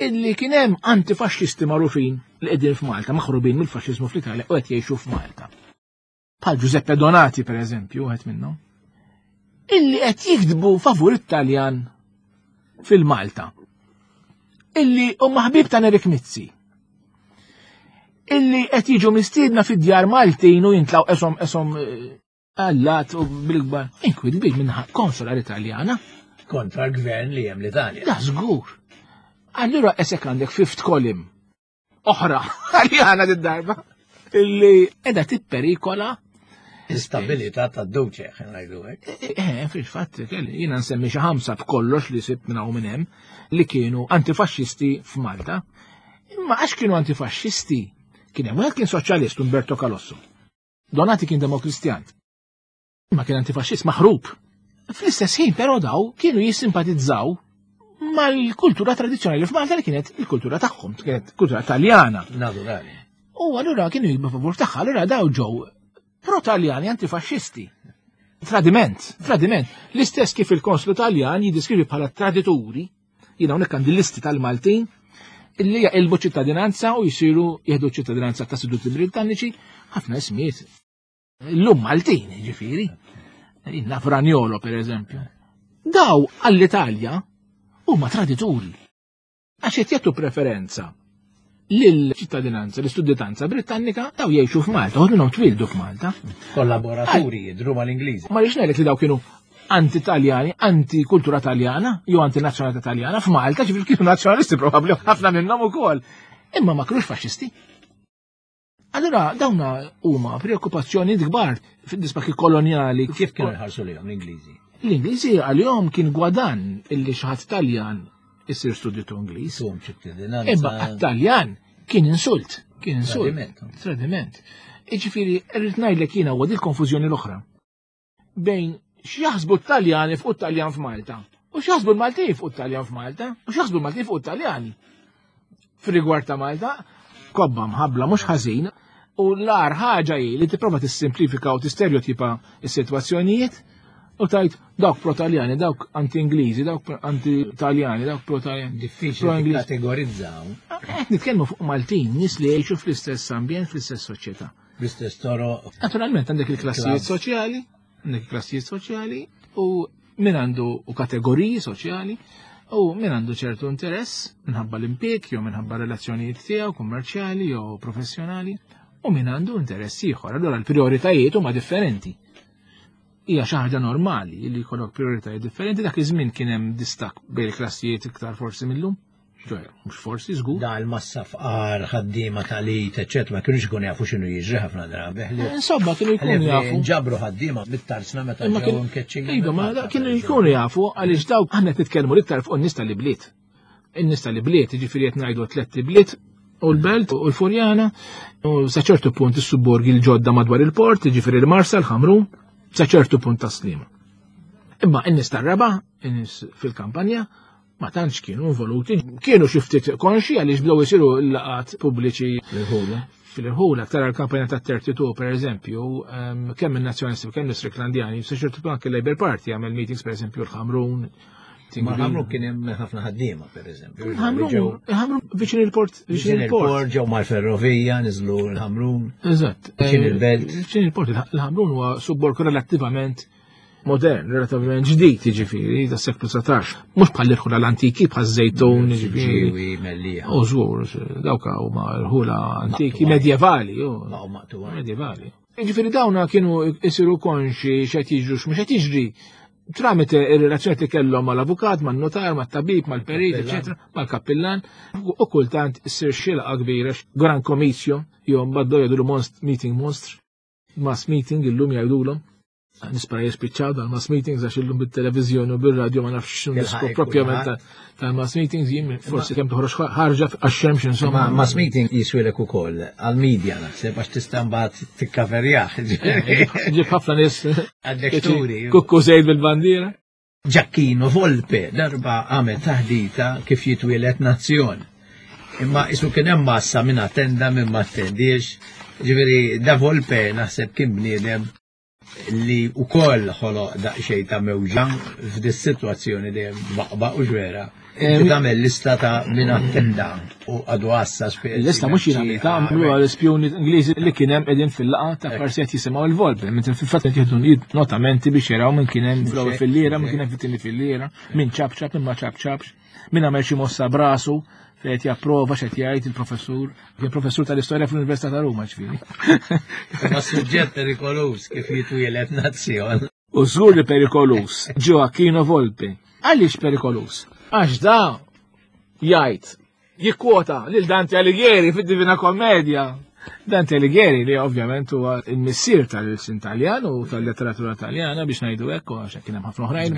[SPEAKER 5] illi kien hemm antifaxxisti magħrufin li qegħdin f'Malta, maħrubin mill-faxxiżmu fl-Italja u qed jgħixu f'Malta. Bħal Giuseppe Donati pereżempju, wieħed minnhom, illi qed jiktbu favur it-Taljan fil-Malta. Illi huma ħbieb ta' Nerik Mizzi. Illi qed jiġu mistiedna fid-djar Maltin u jintlaw esom esom allat u bil-kbar. Inkwiet kbir minn konsolar Italjana.
[SPEAKER 6] Kontra l-gvern li hemm l-Italja.
[SPEAKER 5] Da żgur. Allura esek għandek fifth column oħra Taljana did-darba illi qiegħda tipperikola
[SPEAKER 6] l-istabilità tad-duċe, ngħidu hekk.
[SPEAKER 5] Eh, fil-fatt, kelli jiena nsemmi xi ħamsa b'kollox li sibt minn hawn minn hemm li kienu antifaxxisti f'Malta. Imma għax kienu antifaxxisti, kien hemm wieħed kien soċjalist Umberto Calosso. Donati kien demokristjan. Imma kien antifaxxist maħrub. Fl-istess ħin però daw kienu jissimpatizzaw mal-kultura tradizzjonali f'Malta li kienet il-kultura tagħhom, kienet kultura Taljana.
[SPEAKER 6] Naturali.
[SPEAKER 5] U allura kienu jibba favur tagħha, allura daw ġew pro-Taljani antifaxxisti. Tradiment, tradiment. L-istess kif il-konslu Taljan jiddiskrivi bħala tradituri, jiena hawnhekk għandi listi tal-Maltin illi jaqilbu ċittadinanza u jsiru jieħdu ċittadinanza ta' seduti Britanniċi, ħafna ismijiet. Illum Maltin, ġifieri. Naf Ragnolo, per eżempju. Daw għall-Italja huma tradituri. Għax qed jagħtu preferenza lill-ċittadinanza, l-istuditanza Britannika, daw jgħixu f'Malta, u minnhom twildu f'Malta.
[SPEAKER 6] Kollaboraturi jidhru mal-Ingliżi.
[SPEAKER 5] Ma rridx ngħidlek li daw kienu anti-Taljani, anti-kultura Taljana, jew anti-nazzjonalità Taljana f'Malta, ġifieri kienu nazzjonalisti probabbli ħafna minnhom ukoll. Imma ma kinux faxxisti. Allura dawna huma preokkupazzjoni kbar fid-disbaki kolonjali.
[SPEAKER 6] Kif kienu jħarsu lejhom l-Ingliżi?
[SPEAKER 5] L-Ingliżi għalihom kien gwadan illi xi ħadd Taljan isir studitu Ingliż.
[SPEAKER 6] Sum ċittadinanza.
[SPEAKER 5] Imma għat-Taljan kien insult, kien insult.
[SPEAKER 6] Tradiment.
[SPEAKER 5] Tradiment. Iġifieri, rrid ngħidlek jiena huwa dil-konfużjoni l-oħra. Bejn x'jaħsbu t-Taljani fuq it-Taljan f'Malta, u x'jaħsbu l-Maltin fuq it-Taljan f'Malta, u x'jaħsbu l-Maltin fuq it-Taljani. Fir-rigward ta' Malta, kobba mħabbla mhux ħażin, u l-agħar ħaġa hi li tipprova tissimplifika u tistereotipa s-sitwazzjonijiet u tajt dawk pro-Taljani, dawk anti-Ingliżi, dawk anti-Taljani, dawk pro-Taljani.
[SPEAKER 6] Diffiċli
[SPEAKER 5] Pro-Ingliżi.
[SPEAKER 6] kategorizzaw.
[SPEAKER 5] Qed nitkellmu fuq Maltin, nies li jgħixu fl-istess ambjent, fl-istess soċjetà.
[SPEAKER 6] Bl-istess toroq.
[SPEAKER 5] Naturalment għandek il-klassijiet
[SPEAKER 6] Klass.
[SPEAKER 5] soċjali, għandek il-klassijiet soċjali u min għandu u kategoriji soċjali u min għandu ċertu interess minħabba l-impjieg jew minħabba relazzjonijiet tiegħu kummerċjali jew professjonali u min għandu interess ieħor. Allura l-prijoritajiet huma differenti. Hija xi ħaġa normali li jkollok prijoritajiet differenti. Dak iż-żmien kien hemm distakk bejn il-klassijiet iktar forsi millum. Ġoja, mhux forsi żgur.
[SPEAKER 6] Da l-massa fqar, ħaddiema talit, eċċetera, ma kienux ikunu jafu x'inhu jiġri ħafna drabi.
[SPEAKER 5] Insomma, kienu jkunu jafu.
[SPEAKER 6] Ġabru ħaddiema mit-tarsna meta
[SPEAKER 5] Imma
[SPEAKER 6] ġew
[SPEAKER 5] kien-
[SPEAKER 6] mkeċċin.
[SPEAKER 5] Iva, ma da- kienu jkunu jafu għaliex dawk aħna qed nitkellmu l-iktar fuq in-nies tal-ibliet. In-nies tal-ibliet, jiġifieri qed ngħidu tliet ibliet, U l-Belt u l-Furjana, u sa ċertu punt is-subborgi l-ġodda madwar il-port, ġifieri l-Marsa, l-Ħamrun, sa ċertu punt tas-Sliema. Imma n-nies tar-raba', in-nies fil-kampanja, ma tantx kienu involuti, kienu xi ftit konxi għaliex bdew isiru l-laqgħat pubbliċi fil-irħula, tara l-kampanja ta' trentadue per eżempju, kemm il-Nazzjonalisti u kemm l-Istriklandjani, sa ċertu punt anke l-Labour Party għamel meetings per eżempju l-Ħamrun.
[SPEAKER 6] Ma Ħamrun kien hemm ħafna ħaddiema per eżempju.
[SPEAKER 5] Ħamrun viċin il-port,
[SPEAKER 6] viċin il-port, ġew mal-ferrovija, niżlu l-Ħamrun.
[SPEAKER 5] Eżatt.
[SPEAKER 6] Viċin il-belt.
[SPEAKER 5] Viċin il-port, il-Ħamrun huwa subborg relattivament modern, relattivament ġdid, jiġifieri, tas seklu dsatax. Mhux bħal l-irħula l-antiki, bħal żejtun, jiġifieri.
[SPEAKER 6] Mellieħa.
[SPEAKER 5] U żgur, dawk huma rħula antiki, medjevali. Medjevali. Jiġifieri dawna kienu isiru konxi x'qed jiġru x'mhux qed jiġri tramite ir-relazzjoni li kellhom mal-avukat, man-notar, mat-tabib, mal-perit, eċetera, mal-kappillan, u kultant issir xi laqgħa kbira, gran comizio, jew mbagħad jgħidulu monst meeting monstr, mass meeting illum jgħidulhom. Nispera jispiċċaw dal-mass meetings għax illum bit-televiżjoni u bir-radju ma nafx x'inhu l-iskop propjament tal-mass meetings, jien forsi kemm toħroġ ħarġa għax-xemx insomma.
[SPEAKER 6] Ma mass meeting jiswilek ukoll għall-media naħseb għax tista' mbagħad tikkaverjah.
[SPEAKER 5] Ġib ħafna nies.
[SPEAKER 6] Għandek turi.
[SPEAKER 5] Kukku żejt bil-bandiera.
[SPEAKER 6] Gioacchino Volpe darba għamel taħdita kif jitwielet nazzjon. Imma isu kien hemm massa minn attenda minn ma attendiex. Ġifieri da Volpe naħseb kien bniedem li u koll ħoloq daqxej ta' mewġa f'dis situazzjoni dejjem baqba u ġwera. Inti tagħmel lista ta' min attenda u għadu għassa speċi.
[SPEAKER 5] Il-lista mhux jien għamiltha, għamluha l-ispjuni Ingliżi li kien hemm qegħdin fil-laqgħa ta' parsi qed jisimgħu l-Volpe, mentre fil-fatt qed jieħdu notamenti biex jaraw min kien hemm fl-ewwel filliera, min kien hemm fit-tieni filliera, min ċapċap, min ma ċapċapx, min għamel xi mossa brasu fejn qed japprova x'qed jgħid il-professur, kien professur tal-istorja fl-Università ta' Ruma ġifieri.
[SPEAKER 6] Ma suġġett perikoluż kif jitwielet nazzjon.
[SPEAKER 5] U żgur li perikoluż, Gioacchino Volpe. Għaliex perikoluż? Għax da jgħid jikkwota lil Dante Alighieri fid-Divina Commedia. Dante Alighieri li ovvjament huwa il-missier tal-sin Taljan u tal-letteratura Taljana biex ngħidu hekk, għax kien hemm ħafna oħrajn.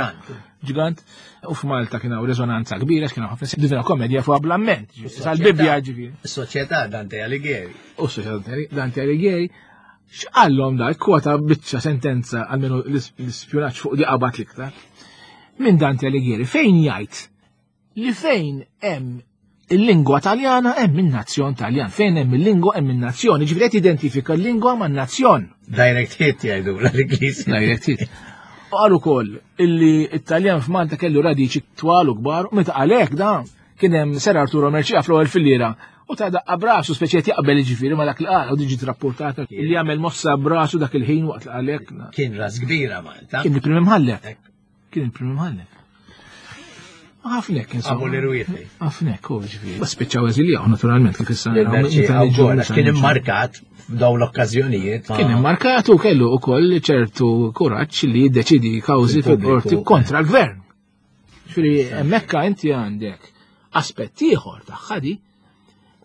[SPEAKER 5] Ġgant. U f'Malta kien hawn reżonanza kbira, kien hawn ħafna Divina Commedia fuq bl-amment. Sal-Bibbja ġifieri.
[SPEAKER 6] Is-Soċjetà Dante Alighieri.
[SPEAKER 5] U s-Soċjetà Dante Alighieri x'qallhom da kwota biċċa sentenza almenu l-ispjunaġġ fuq di qabad l-iktar. Minn Dante Alighieri fejn jgħid li fejn hemm il-lingwa Taljana hemm in-nazzjon Taljan, fejn hemm il-lingwa hemm in-nazzjon, jiġifieri qed identifika l-lingwa man-nazzjon.
[SPEAKER 6] Direct hit jgħidu l-Ingliż.
[SPEAKER 5] Direct hit. U qal ukoll illi it-Taljan f'Malta kellu radiċi twal u kbar, u meta għalhekk da kien hemm Ser Arturo Mercieca fl-ewwel filliera u ta' daqqa brasu speċi qed jaqbel jiġifieri ma dak li qal u diġi rapportata illi jagħmel mossa brasu dak il-ħin waqt li qalek.
[SPEAKER 6] Kien ras kbira Malta.
[SPEAKER 5] Kien il-prim imħallef. Kien il-prim imħallef. Ħafnek, insomma.
[SPEAKER 6] Għabu l-irwieħi.
[SPEAKER 5] Ħafnek, u ġifieri. Ma spiċċaw eżiljaw, naturalment, kif issa naraw, meta niġu meta
[SPEAKER 6] Kien
[SPEAKER 5] niġu.
[SPEAKER 6] immarkat f'dawn l-okkażjonijiet.
[SPEAKER 5] Kien immarkat u kellu wkoll ċertu kuraġġ li jiddeċidi kawżi
[SPEAKER 6] Fil-pubbliku.
[SPEAKER 5] fil-qorti kontra l-gvern. Ġifieri hemmhekk inti għandek aspett ieħor tagħha di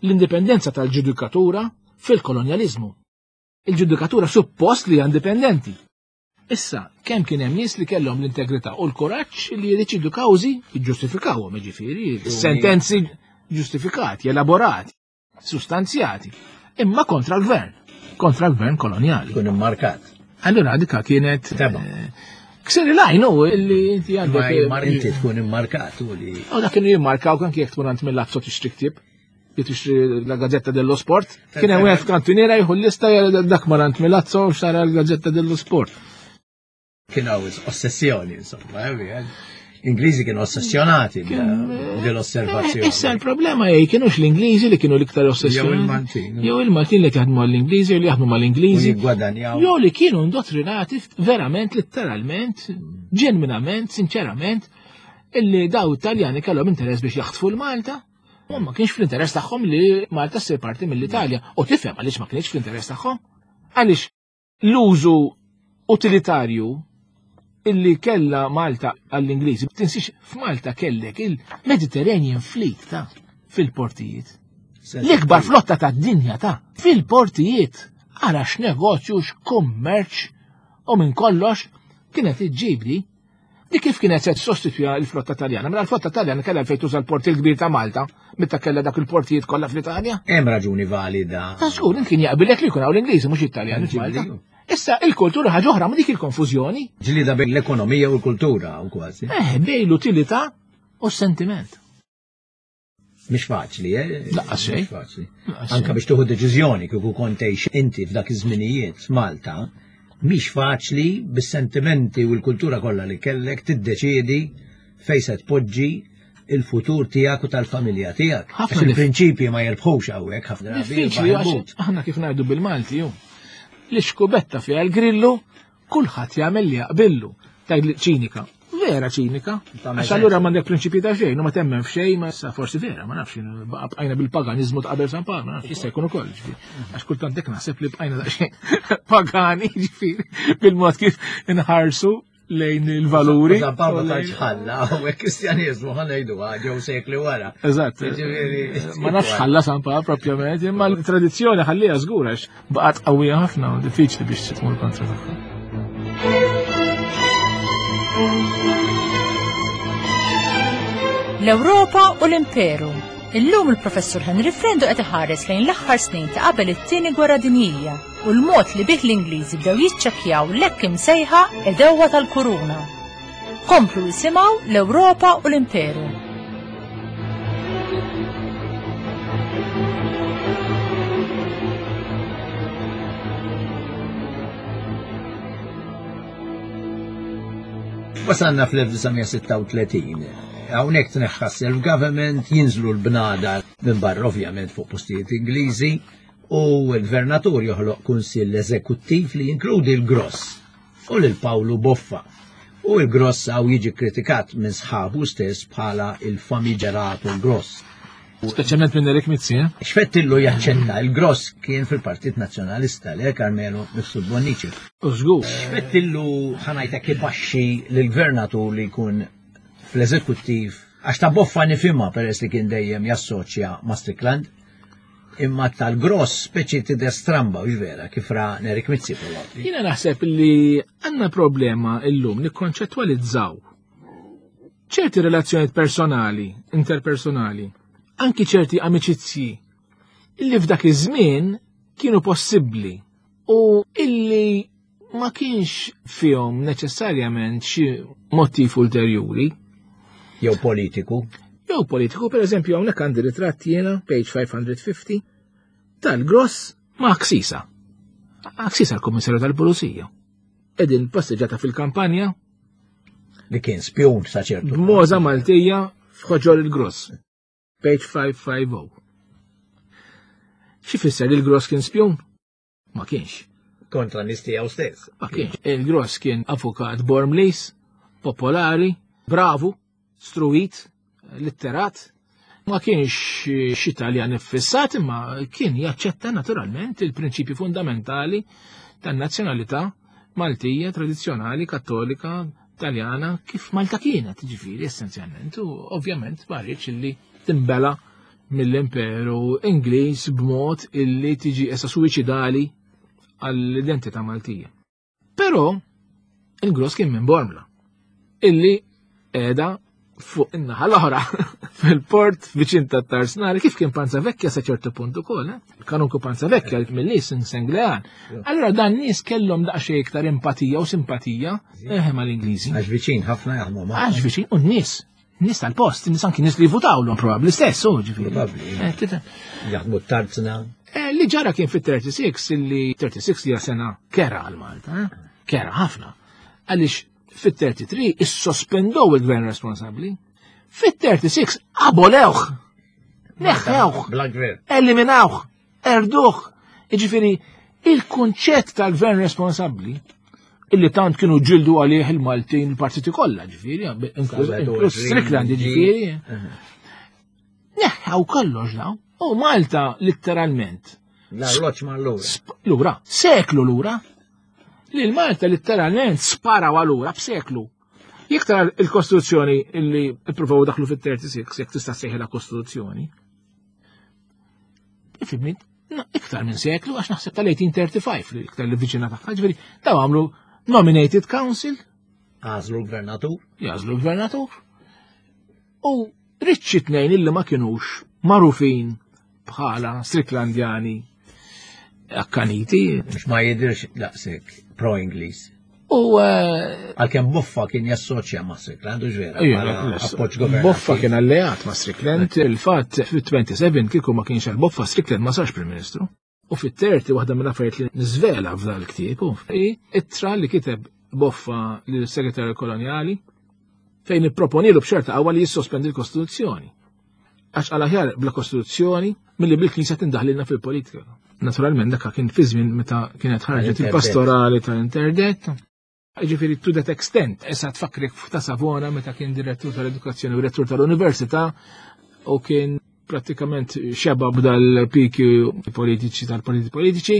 [SPEAKER 5] l-indipendenza tal-ġudikatura fil-kolonjaliżmu. Il-ġudikatura suppost li hija indipendenti. Issa, kemm kien hemm nies li kellhom l-integrità u l-kuraġġ li jiddeċidu kawżi jiġġustifikawhom, jiġifieri, sentenzi ġustifikati, elaborati, sustanzjati, imma kontra l-gvern, kontra l-gvern kolonjali.
[SPEAKER 6] Kun immarkat.
[SPEAKER 5] Allura dika kienet
[SPEAKER 6] Tema.
[SPEAKER 5] eh, ksir il-għajn u li inti
[SPEAKER 6] Ma
[SPEAKER 5] għandek
[SPEAKER 6] jimmar- inti tkun immarkat u li
[SPEAKER 5] U dak kienu jimmarkaw kan jekk tkun għand mill-Lazio tixtri ktieb, li tixtri la Gazzetta dello Sport. Kien hemm wieħed f'kantuniera jieħu l-lista jara dak mar għand Milazzo u xtara l-Gazzetta dello Sport.
[SPEAKER 6] Kien hawn ossessjoni, insomma, eh, L-Ingliżi kienu ossessjonati bil-osservazzjoni.
[SPEAKER 5] Issa l-problema hi kienux l-Ingliżi li kienu l-iktar ossessjonati.
[SPEAKER 6] Jew il-Maltin.
[SPEAKER 5] Jew il-Maltin li jaħdmu għall-Ingliżi jew li jaħdmu mal-Ingliżi.
[SPEAKER 6] U jiggwadanjaw.
[SPEAKER 5] Jew li kienu indottrinati verament, letteralment, ġenwinament, sinċerament, illi daw Italjani kellhom interess biex jaħtfu l-Malta. U ma kienx fl-interess tagħhom li Malta ssir parti mill-Italja. U tifhem għaliex ma kienx fl-interess tagħhom. Għaliex l-użu utilitarju illi kella Malta għall-Ingliżi, tinsiex f'Malta kellek il-Mediterranean Fleet ta' fil-portijiet. L-ikbar flotta ta' dinja ta' fil-portijiet. Ara x'negozju, x'kummerċ u minn kollox kienet iġġibli. Di kif kienet se tissostitwija l-flotta Taljana? Mela l-flotta Taljana kellha fejn tuża l-port il-kbir ta' Malta, meta kellha dak il-portijiet kollha fl-Italja.
[SPEAKER 6] Hemm raġuni valida.
[SPEAKER 5] Ta' żgur kien jaqbilek li jkun hawn l-Ingliżi mhux it-Taljani f'Malta. Issa il-kultura ħaġa oħra ma dik il-konfużjoni.
[SPEAKER 6] Ġlida bejn l-ekonomija u l-kultura u kważi.
[SPEAKER 5] Eh, bejn l-utilità u s-sentiment.
[SPEAKER 6] Mhix faċli, eh?
[SPEAKER 5] Laqqas xejn.
[SPEAKER 6] Mhix faċli. Anka biex tieħu deċiżjoni kieku kont tgħix inti f'dak iż-żminijiet f'Malta, mhix faċli bis-sentimenti u l-kultura kollha li kellek tiddeċiedi fejn se tpoġġi il-futur tiegħek u tal-familja tiegħek.
[SPEAKER 5] Ħafna
[SPEAKER 6] Għax il-prinċipji ma jirbħux hawnhekk ħafna drabi.
[SPEAKER 5] Diffiċli għax aħna kif ngħidu bil-Malti ju. L-iskubetta fiha l-grillu, kulħadd jagħmel li jaqbillu. Tgħid li ċinika. Vera ċinika.
[SPEAKER 6] Tagħmel
[SPEAKER 5] Għax allura m'għandek prinċipji ta' xejn, u ma temmen f'xejn, ma sa forsi vera, ma nafx, baqa' bqajna bil-paganiżmu ta' qabel San Pawl, ma nafx, jista' jkun ukoll, ġifieri. Għax kultant dik naħseb li bqajna daqsxejn pagani, ġifieri, bil-mod kif inħarsu lejn il-valuri.
[SPEAKER 6] San Pawl ma
[SPEAKER 5] u lejn-
[SPEAKER 6] tantx ħalla, hawnhekk Kristjaniżmu ħa ngħidu ġew sekli wara.
[SPEAKER 5] Eżatt.
[SPEAKER 6] Ġifieri-
[SPEAKER 5] Ma nafx ħalla San Pawl propjament, imma l-tradizzjoni ħallija żgur għax baqgħet qawwija ħafna u diffiċli biex tmur kontra tagħha.
[SPEAKER 3] L-Ewropa u l-Imperu. Illum il-Professur Henry Frendo qed iħares lejn l-aħħar snin ta' qabel it-tieni gwerra dinjija u l-mod li bih l-Ingliżi bdew jiċċekkjaw l-hekk imsejħa edewwa tal-kuruna. Komplu jisimgħu l-Ewropa u l-Imperu.
[SPEAKER 6] Wasalna fl-elf disa' mija sitta u tletin. Hawnhekk tneħħa self-government, jinżlu l-bnada minn barra ovvjament fuq postijiet Ingliżi u l-gvernatur joħloq kunsill eżekuttiv li jinkludi l-Gross u lil Pawlu Boffa. U l-Gross hawn jiġi kritikat minn sħabu stess bħala il-famigerato Gross.
[SPEAKER 5] Speċjalment minn Erik Mizzi, eh?
[SPEAKER 6] Xfettillu jaċċetta, il-Gross kien fil-Partit Nazzjonalista, le Carmelo Mifsud Bonnici.
[SPEAKER 5] U żgur.
[SPEAKER 6] Xfettillu ħanajta kibaxxi lill-gvernatur li jkun fl-eżekuttiv, għax ta' Boffa nifhimha peress li kien dejjem jassoċja ma' Strickland, imma tal-Gross speċi tidher stramba, u vera, kif ra Nerik Mizzi probabbli.
[SPEAKER 5] Jiena naħseb li għandna problema illum nikkonċettwalizzaw ċerti relazzjonijiet personali, interpersonali, anki ċerti amiċizzji illi f'dak iż-żmien kienu possibbli u illi ma kienx fihom neċessarjament xi motiv ulterjuri.
[SPEAKER 6] Jew politiku.
[SPEAKER 5] Jew politiku, per eżempju, hawnhekk għandi ritratt jiena, page five hundred fifty, tal-Gross ma' Axisa. Axisa l-Kummissarju tal-Pulizija. Edin passeġġata fil-kampanja.
[SPEAKER 6] Li kien spjun sa ċertu.
[SPEAKER 5] B'moża Maltija f'ħoġor il-Gross. Page five five oh. Xi fisser li l-Gross kien spjun? Ma kienx.
[SPEAKER 6] Kontra nies tiegħu stess.
[SPEAKER 5] Ma kienx. Il-Gross kien avukat Bormlis, popolari, bravu, struit, litterat. Ma kienx xi Taljan iffissat, imma kien jaċċetta naturalment il-prinċipji fundamentali tan-nazzjonalità Maltija, tradizzjonali, kattolika, Taljana, kif Malta kienet, ġifieri, essenzjalment, u ovvjament ma rridx illi timbela mill-Imperu Ingliż b'mod illi tiġi essa suwiċidali għall-identità Maltija. Però il-Gross kien minn Bormla, illi qiegħda fuq in-naħa l-oħra fil-port viċin ta' Tarsnari, kif kien Panza Vecchia sa ċertu punt ukoll, eh? Kanunku Panza Vecchia mill-nies Senglean. Allura dan nies kellhom daqsxejn iktar empatija u simpatija eh, mal-Ingliżi.
[SPEAKER 6] Għax viċin ħafna jaħdmu ma'.
[SPEAKER 5] Għax viċin u n-nies, nies tal-post, nies anki nies li jvutawlhom probabbli stess, u ġifieri.
[SPEAKER 6] Probabbli.
[SPEAKER 5] Eh, tifhem.
[SPEAKER 6] Jaħdmu t-tarzna.
[SPEAKER 5] Eh, li ġara kien fit-thirty-six, illi thirty-six hija sena kera għal Malta, eh? Kera ħafna. Għaliex fit-thirty-three issospendow il-gvern responsabbli. Fit-thirty-six abolewh. Neħħewh.
[SPEAKER 6] Bla gvern.
[SPEAKER 5] Eliminawh. Erduh. Jiġifieri, il-kunċett tal-gvern responsabbli illi tant kienu ġildu għalih il-Maltin il-partiti kollha, ġifieri, inkluż
[SPEAKER 6] Salvador
[SPEAKER 5] inkluż
[SPEAKER 6] Green,
[SPEAKER 5] Strickland,
[SPEAKER 6] G.
[SPEAKER 5] ġifieri. Neħħaw kollox daw. U Malta letteralment.
[SPEAKER 6] L-arloġġ ma' lura.
[SPEAKER 5] Sp-, lura, seklu lura. Li l-Malta letteralment sparaw għalura b'seklu. Jekk tara il-Kostituzzjoni illi ippruvaw daħlu fit-thirty-six, jekk tista' ssejħilha Kostituzzjoni. Ifhimni, na, iktar minn seklu, għax naħseb tal-eighteen thirty-five li iktar li viċina tagħha, ġifieri, daw għamlu nominated council.
[SPEAKER 6] Għażlu l-gvernatur?
[SPEAKER 5] Jagħżlu l-gvernatur. U riċċi tnejn illi ma kinux magħrufin bħala Stricklandjani akkaniti.
[SPEAKER 6] Mhux ma jidirx daqshekk pro-Ingliż.
[SPEAKER 5] U eh,
[SPEAKER 6] Għalkemm Boffa kien jassoċja ma' Strickland, u ġvera. Appoġġ governattiv.
[SPEAKER 5] Boffa kien alleat ma' Strickland, il-fatt fit-twenty-seven kieku ma kienx għal Boffa, Strickland ma sarx Prim Ministru. U fit-thirty waħda mill-affarijiet li niżvela f'dan il-ktieb hi ittra li kiteb Boffa lill-Segretarju Kolonjali fejn ipproponilu b'ċerta qawwa li jissospendi l-Kostituzzjoni. Għax għal aħjar bla Kostituzzjoni milli bil-Knisja tindaħlilna fil-politika. Naturalment dak kien fi żmien meta kienet ħarġet il-pastorali tal-interdett. Ġifieri to that extent, issa tfakrek ta' Savona meta kien direttur tal-edukazzjoni u direttur tal-università u kien prattikament xeba b'dal-piki politiċi tal-partiti politiċi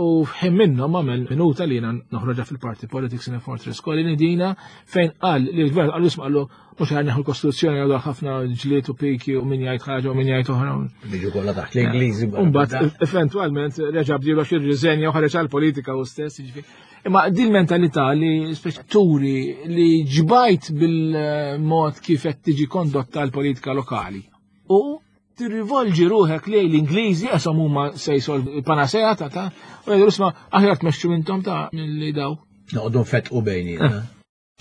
[SPEAKER 5] u ħin minnhom għamel minuta li jiena noħroġha fil-Party Politics in a Fortress Colony dina fejn qal li l-gvern qallu isma' qallu mhux ħa neħu l-Kostituzzjoni għadu ħafna ġlied u piki u min jgħid ħaġa u min jgħid oħra.
[SPEAKER 6] Biġu kollha taħt l-Ingliżi.
[SPEAKER 5] Mbagħad eventwalment reġa' bdielu għax irriżenja u ħareġ għall-politika u stess, jiġifieri. Imma din mentalità li speċi turi li ġbajt bil-mod kif qed tiġi kondotta l-politika lokali. U tirrivolġi ruħek lejn l-Ingliżi qeshom huma se jsolvu il-panasea ta' ta' u jgħidu isma' aħjar tmexxu intom ta' milli daw.
[SPEAKER 6] Noqogħdu nfetqu bejnietna.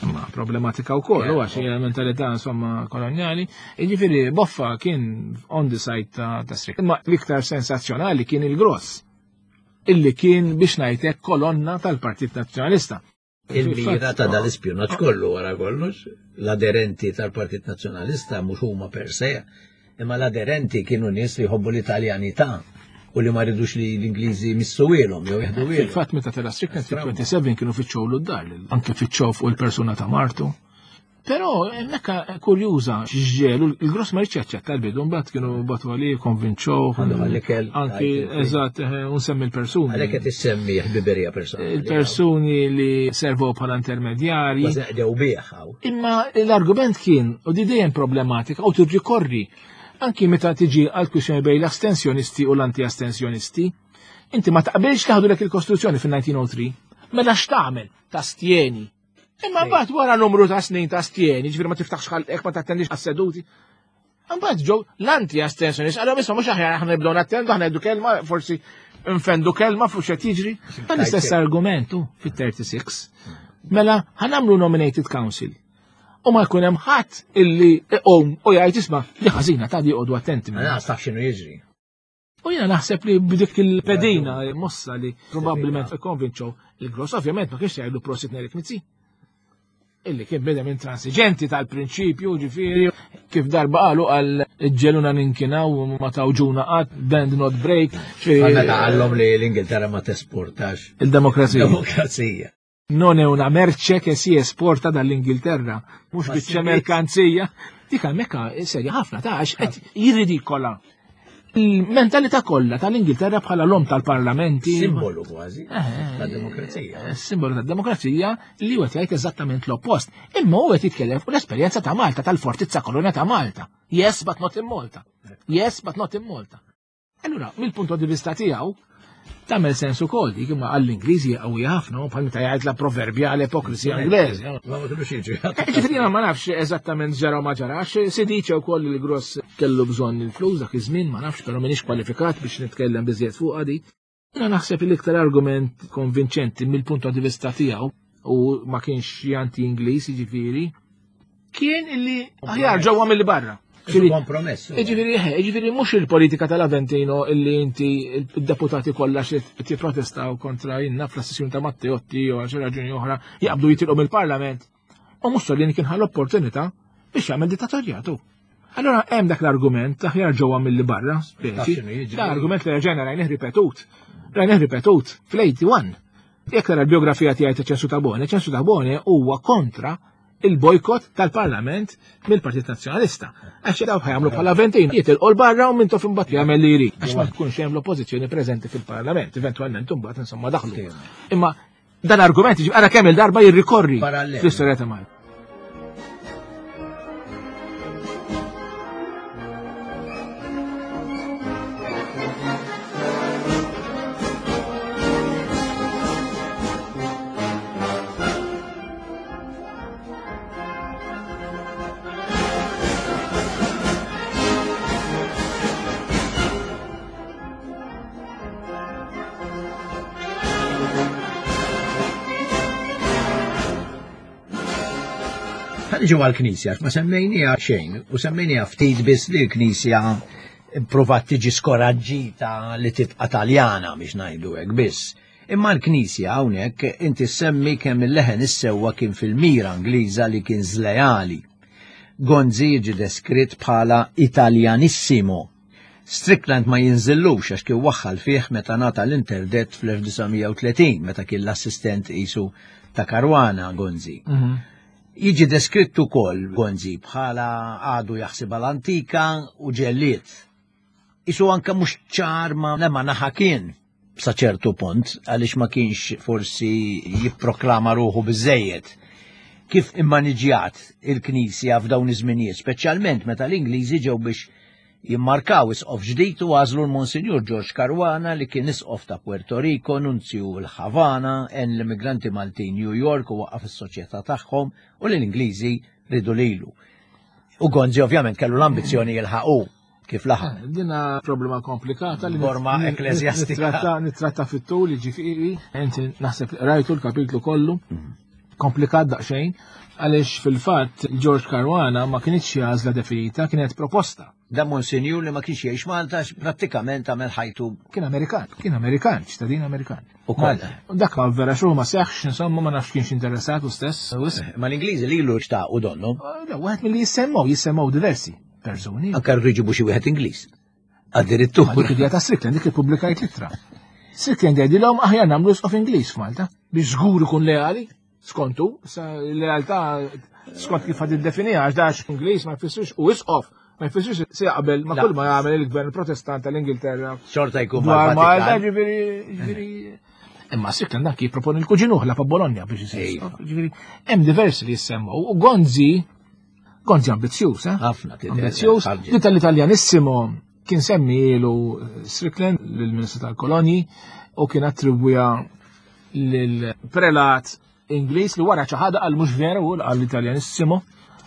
[SPEAKER 5] Imma problematika wkoll, huwa xi mentalità insomma kolonjali. Jiġifieri Boffa kien on the side ta' ta' Strickland. Imma l-iktar sensazzjonali kien il-Gross, illi kien biex ngħidlek kolonna tal-Partit Nazzjonalista.
[SPEAKER 6] Il-mira ta' dal-ispjunaġġ kollu wara kollox, l-aderenti tal-Partit Nazzjonalista mhux huma per se, imma l-aderenti kienu nies li jħobbu l-Italjanità u li ma ridux li l-Ingliżi missuwielhom jew jieħdu wielhom.
[SPEAKER 5] Fil-fatt meta tela Strickland fit-twenty-seven kienu fittxew d-dar, anke fittxew fuq il-persuna ta' martu. Però hemmhekk kurjuża x'ġelu, il-Gross ma rridx jaċċetta l-bidu, mbagħad kienu batu għalih, konvinċew.
[SPEAKER 6] Għandu għall-ikel,
[SPEAKER 5] Anki,
[SPEAKER 6] għajt,
[SPEAKER 5] eżatt, eh, unsemmi l-persuni.
[SPEAKER 6] Għalhekk qed issemmi ħbiberija personali.
[SPEAKER 5] Il-persuni li servow bħala intermedjarji.
[SPEAKER 6] Kważi qdew bih hawn.
[SPEAKER 5] Imma l-argument kien, u di dejjem problematika, u tirrikorri anki meta tiġi għal kwistjoni bejn l-astensjonisti u l-anti-astensjonisti, inti ma taqbilx taħdulek il-Kostituzzjoni fin-nineteen oh three. Mela x'tagħmel? Tastjeni. Imma mbagħad wara numru ta' snin ta' stjeni, ġifieri ma tiftaħx ħalqek, ma tattendix għas-seduti. Mbagħad ġew l-anti-astensjonisti, qalhom isma' mhux aħjar aħna nibdew nattendu, aħna ngħidu kelma, forsi nfendu kelma fuq x'qed jiġri. Dan l-istess argumentu fit-thirty-six. Mela ħanamlu nominated council. U ma jkun hemm ħadd illi iqum u jgħid isma' li ħażina ta' di qogħdu attenti
[SPEAKER 6] Mela
[SPEAKER 5] minna.
[SPEAKER 6] taf x'inhu jiġri.
[SPEAKER 5] U jiena naħseb li b'dik il-pedina mossa li probabbilment ikkonvinċew il-Gross, ovvjament ma kienx jgħidu prosit Nerik Mizzi. Illi kien beda minn transiġenti tal-prinċipju, ġifieri, kif darba qalu għal ġeluna ninkinaw u ma tawġuna qatt, bend not break.
[SPEAKER 6] Għal meta qallhom li l-Ingilterra ma tesportax
[SPEAKER 5] Il-demokrazija.
[SPEAKER 6] Demokrazija.
[SPEAKER 5] Non è una merce che si esporta dall'Inghilterra, mhux
[SPEAKER 6] Ma
[SPEAKER 5] biċċa
[SPEAKER 6] si-
[SPEAKER 5] merkanzija. Dik hemmhekk serja ħafna ta' għax qed jirridikola il-mentalità kollha tal-Ingilterra bħala l-om tal-parlamenti.
[SPEAKER 6] Simbolu kważi
[SPEAKER 5] Eh, eh,
[SPEAKER 6] tad-demokrazija.
[SPEAKER 5] eh, simbolu tad-demokrazija li huwa jgħid eżattament l-oppost. Imma huwa qed jitkellem fuq l-esperjenza ta' Malta, tal-fortizza kolonja ta' Malta. Yes, but not in Malta. Yes, but not in Malta. Allura, mill-punto di vista tiegħu, tagħmel sens ukoll dik imma għall-Ingliżi qawwi ħafna, u bħal meta jgħid la proverbjale ipokrisija Ingliżi.
[SPEAKER 6] Ma ma kinux jiġu.
[SPEAKER 5] Eh, ġifieri jiena ma nafx eżattament ġara u ma ġarax, si dice wkoll li l-Gross kellu bżonn il-flus dak iż-żmien, ma nafx, però m'iniex kwalifikat biex nitkellem biżjed fuqha di. Jiena naħseb li l-iktar argument konvinċenti mill-punto di vista tiegħu, u ma kienx anti-Ingliż, jiġifieri, kien illi aħjar ġewwa milli barra.
[SPEAKER 6] Ġifieri kompromess.
[SPEAKER 5] Ġifieri, eh, ġifieri mhux il-politika tal-Aventino illi inti il-deputati kollha xi tipprotestaw kontra jinna fl-assessjoni ta' Matteotti jew għal xi raġuni oħra jaqbdu jitilqu mill-Parlament. U Mussolini kien ħa l-opportunità biex jagħmel dittatorjatu. Allora hemm dak l-argument aħjar ġewwa milli barra, speċi.
[SPEAKER 6] Taf x'inhu jiġri.
[SPEAKER 5] Da argument li reġgħajna rajnih ripetut. Rajnih ripetut fl-eighty-one. Jekk tara l-biografija tiegħi ta' Ċensu Tabone, Ċensu Tabone huwa kontra il-bojkot tal-Parlament mill-Partit Nazzjonalista. Għax daw ħajamlu bħala Aventino, jitilqu l-barra u minn tof imbagħad jagħmel li jrid. Għax ma tkunx hemm l-oppożizzjoni preżenti fil-Parlament, eventwalment imbagħad insomma daħlu. Imma dan argument jiġi ara kemm il-darba jirrikorri
[SPEAKER 6] Parallel.
[SPEAKER 5] fl-istorja ta' Malta.
[SPEAKER 6] Ħa niġu għall-Knisja, ma semmejnieha xejn, u semmejnieha ftit biss li l-Knisja provat tiġi skoraġġita li tibqa' Taljana biex ngħidu hekk biss. Imma l-Knisja hawnhekk inti semmi kemm il-leħen is-sewwa kien fil-mira Ingliża li kien żlejali. Gonzi jiġi deskritt bħala Italianissimo. Strickland ma jinżillux għax kien waħħal fih meta ngħata l-interdett fl-elf disa' mija u tletin, meta kien l-assistent isu ta' Caruana Gonzi.
[SPEAKER 5] Mhm.
[SPEAKER 6] Jiġi deskritt ukoll Gonzi bħala għadu jaħseb l-antika u ġelliet. Isu anka mhux ċar ma lema naħa kien sa ċertu punt, għaliex ma kienx forsi jipproklama ruħu biżejjed. Kif immaniġjat il-Knisja f'dawn iż-żminijiet, speċjalment meta l-Ingliżi ġew biex jimmarkaw isqof ġdid u għażlu l-Monsinjur George Caruana, li kien isqof ta' Puerto Rico, nunzju l-Havana, għen l-immigranti Maltin New York u waqqaf is-soċjetà tagħhom, u li l-Ingliżi ridu lilu. U Gonzi ovvjament kellu l-ambizzjoni jilħaqu, kif laħaq.
[SPEAKER 5] Eh, Dina problema komplikata li
[SPEAKER 6] Forma
[SPEAKER 5] nit-
[SPEAKER 6] ekklesjastika.
[SPEAKER 5] Nittratta nittratta fit-tul, ġifieri, inti naħseb rajtu l-kapitlu kollu, komplikat daqsxejn, għaliex fil-fatt George Caruana ma kienx xi għażla definita, kienet proposta.
[SPEAKER 6] Da Monsinjur li ma kienx jgħix Malta, prattikament għamel ħajtu
[SPEAKER 5] Kien Amerikan, kien Amerikan, ċittadin Amerikan.
[SPEAKER 6] U koll.
[SPEAKER 5] Dak ma vera xu ma seħx, insomma, ma nafx kienx interessat u stess. wisq.
[SPEAKER 6] Ma l-Ingliżi lilu xtaqu donnu.
[SPEAKER 5] Le, wieħed mill-li jissemmaw, jissemmaw diversi persuni.
[SPEAKER 6] Anka rridu jġibu xi wieħed Ingliż. Addirittura.
[SPEAKER 5] Ma dik idea ta' Strickland, dik ippubblikajt l-ittra. Strickland jgħidilhom aħjar nagħmlu isqof Ingliż f'Malta biex żgur ikun leali, skontu, sa lealtà skont kif ħad iddefiniha, għax dax Ingliż ma jfissirx u isqof ma jfissirx se jaqbel ma
[SPEAKER 6] La.
[SPEAKER 5] kull ma jagħmel il-gvern Protestant tal-Ingilterra.
[SPEAKER 6] Xorta jkun
[SPEAKER 5] Dwar Malta,
[SPEAKER 6] mal-Vatikan.
[SPEAKER 5] ġifieri ġifieri Imma Strickland dak jipproponi l-kuġinuh la pa' Bologna biex isir
[SPEAKER 6] Ejfa.
[SPEAKER 5] isqof. Ġifieri hemm diversi li jissemmaw u Gonzi Gonzi ambizzjuż, eh?
[SPEAKER 6] Ħafna tidher,
[SPEAKER 5] Ambizzjuż.
[SPEAKER 6] ħarġet.
[SPEAKER 5] Li tal-Italianissimo kien semmielu Strickland lill-Ministru tal-Kolonji u kien attribwija lill-prelat Ingliż li wara ċaħada, qal mhux veru, qal Italianissimo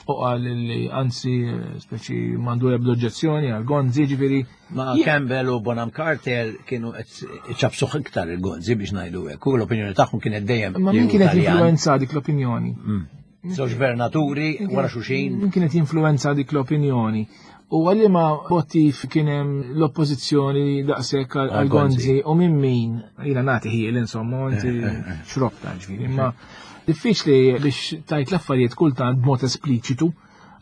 [SPEAKER 5] u qal li anzi speċi m'għandu ebda oġġezzjoni għal Gonzi, ġifieri.
[SPEAKER 6] Ma Campbell u Bonham Carter kienu qed ċabsuh iktar il-Gonzi biex ngħidu hekk. U l-opinjoni tagħhom kienet dejjem
[SPEAKER 5] Ma
[SPEAKER 6] li
[SPEAKER 5] min
[SPEAKER 6] hu
[SPEAKER 5] kienet
[SPEAKER 6] Taljan.
[SPEAKER 5] influenza dik l-opinjoni?
[SPEAKER 6] Żewġ gvernaturi wara xulxin.
[SPEAKER 5] Min kienet jinfluenza dik l-opinjoni? U għalli ma motiv kien hemm l-oppożizzjoni daqshekk għal
[SPEAKER 6] Għal Gonzi.
[SPEAKER 5] Gonzi u minn min jiena nagħti ħiel, insomma, inti xrobta, ġifieri, imma diffiċli biex tajt l-affarijiet kultant b'mod espliċitu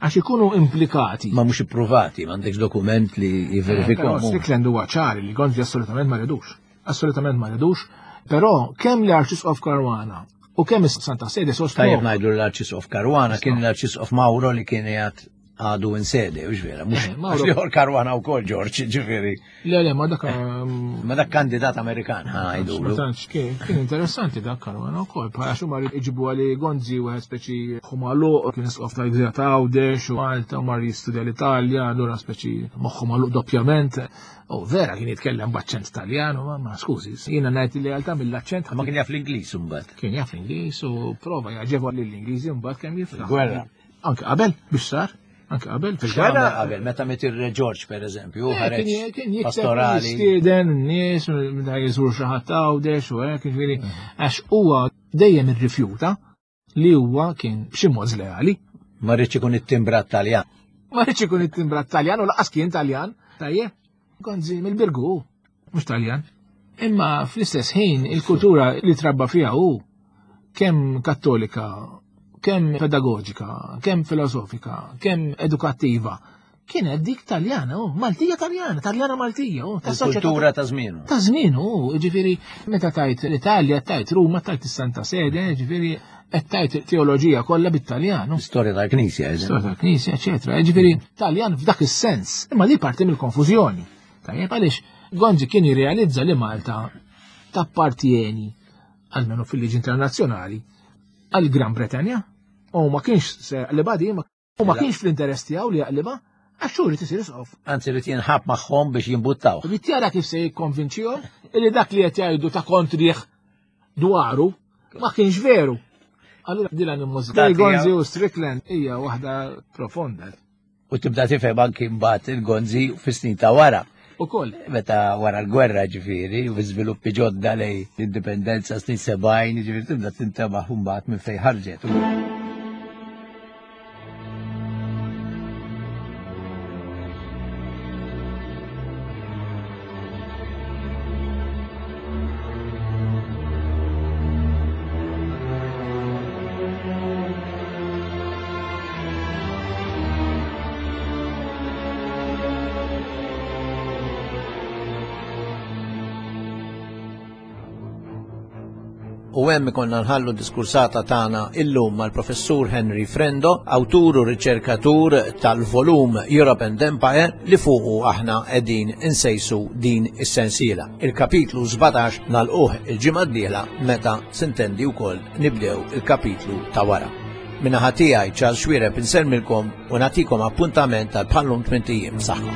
[SPEAKER 5] għax ikunu implikati.
[SPEAKER 6] Ma mhux ippruvati, m'għandekx dokument li
[SPEAKER 5] Però
[SPEAKER 6] jivverifikahom.
[SPEAKER 5] Strickland huwa ċari li Gonzi assolutament ma ridux. Assolutament ma ridux. Però kemm l-Arċisqof Caruana u kemm is-Santa Sede sostnu.
[SPEAKER 6] Tajjeb ngħidu l-Arċisqof Caruana kien l-Arċisqof Mauro li kien jgħat għadu in sede, u vera, mhux
[SPEAKER 5] Eh, Mauro-
[SPEAKER 6] għax liħor Caruana wkoll George, ġifieri.
[SPEAKER 5] Le, le, ma dak um,
[SPEAKER 6] Ma dak kandidat Amerikan, ħa
[SPEAKER 5] Ma
[SPEAKER 6] ngħidulu.
[SPEAKER 5] tantx kien kien interessanti dak Caruana wkoll, bħala xi mar iġibu għali Gonzi wieħed speċi ħumalu kien isqof tal-Gżira ta' Għawdex u Malta u mar jistudja l-Italja, allura speċi moħħu magħluq doppjament. U vera kien jitkellem b'aċċent Taljan, u ma ma skużi, jiena ngħid li realtà mill-aċċent
[SPEAKER 6] Ma kien jaf l-Ingliż imbagħad.
[SPEAKER 5] Kien jaf l-Ingliż u prova jaġevo lill-Ingliżi mbagħad kemm jiflaħ.
[SPEAKER 6] Gwerra.
[SPEAKER 5] Anke qabel biex sar, anke qabel
[SPEAKER 6] Fil-gwerra qabel, meta miet ir-Re George per eżempju,
[SPEAKER 5] Eh,
[SPEAKER 6] ħareġ
[SPEAKER 5] Kien kien jikteb
[SPEAKER 6] pastorali.
[SPEAKER 5] jistieden n-nies meta jżur xi ħadd Għawdex u hekk, ġifieri għax huwa dejjem irrifjuta li huwa kien b'xi mod żleali.
[SPEAKER 6] Ma rridx ikun it-timbrat Taljan.
[SPEAKER 5] Ma rridx ikun it-timbrat Taljan u laqas kien Taljan. Tajjeb, Gonzi mill-Birgu, mhux Taljan. Imma fl-istess ħin il-kultura li trabba fiha hu kemm kattolika, kemm pedagogika, kemm filosofika, kemm edukattiva, kienet dik Taljana, oh, Maltija Taljana, Taljana Maltija, oh, ta' soċjetà
[SPEAKER 6] Il-kultura ta' żmienu.
[SPEAKER 5] Ta' żmien u ġifieri meta tajt l-Italja, tajt Ruma, tajt is-Santa Sede, ġifieri qed tajt teoloġija kollha bit-Taljan. u
[SPEAKER 6] Storja tal-Knisja, eżempju.
[SPEAKER 5] Storja tal-Knisja, eċetera. Ġifieri Taljan f'dak is-sens, imma di parti mill-konfużjoni. Tajjeb, għaliex Gonzi kien jirrealizza li Malta tappartieni, almenu fil-liġi internazzjonali, għal Gran Bretanja u ma kienx se jaqlibha di, ma- u ma kienx fl-interess tiegħu li jaqlibha għax xhur isir isqof.
[SPEAKER 6] Anzi, rrid jinħab magħhom biex jimbuttaw.
[SPEAKER 5] Rrid jara kif se jikkonvinċihom illi dak li qed jgħidu ta' kontrih dwaru ma kienx veru. Allura din l-animosità
[SPEAKER 6] Dak hija-
[SPEAKER 5] Gonzi u Strickland hija waħda profonda.
[SPEAKER 6] U tibda tifhem anki mbagħad il-Gonzi fis-snin ta' wara.
[SPEAKER 5] Ukoll.
[SPEAKER 6] Meta wara l-gwerra ġifieri, u fi żviluppi ġodda lej l-indipendenza snin sebgħin, ġifieri tibda tintebaħ mbagħad minn fejn ħarġet.
[SPEAKER 4] U hemm ikollna nħallu diskursata tagħna illum mal-Professur Henry Frendo, awtur u riċerkatur tal-volum Europe and Empire li fuqu aħna qegħdin insejsu din is-sensiela. Il-kapitlu sbatax nagħlquh il-ġimgħa d-dieħla meta sintendi wkoll nibdew il-kapitlu ta' wara. Min-naħa tiegħi Charles Xuereb insellmilkom u nagħtikom appuntament tal bħallum tmint ijiem. Saħħa.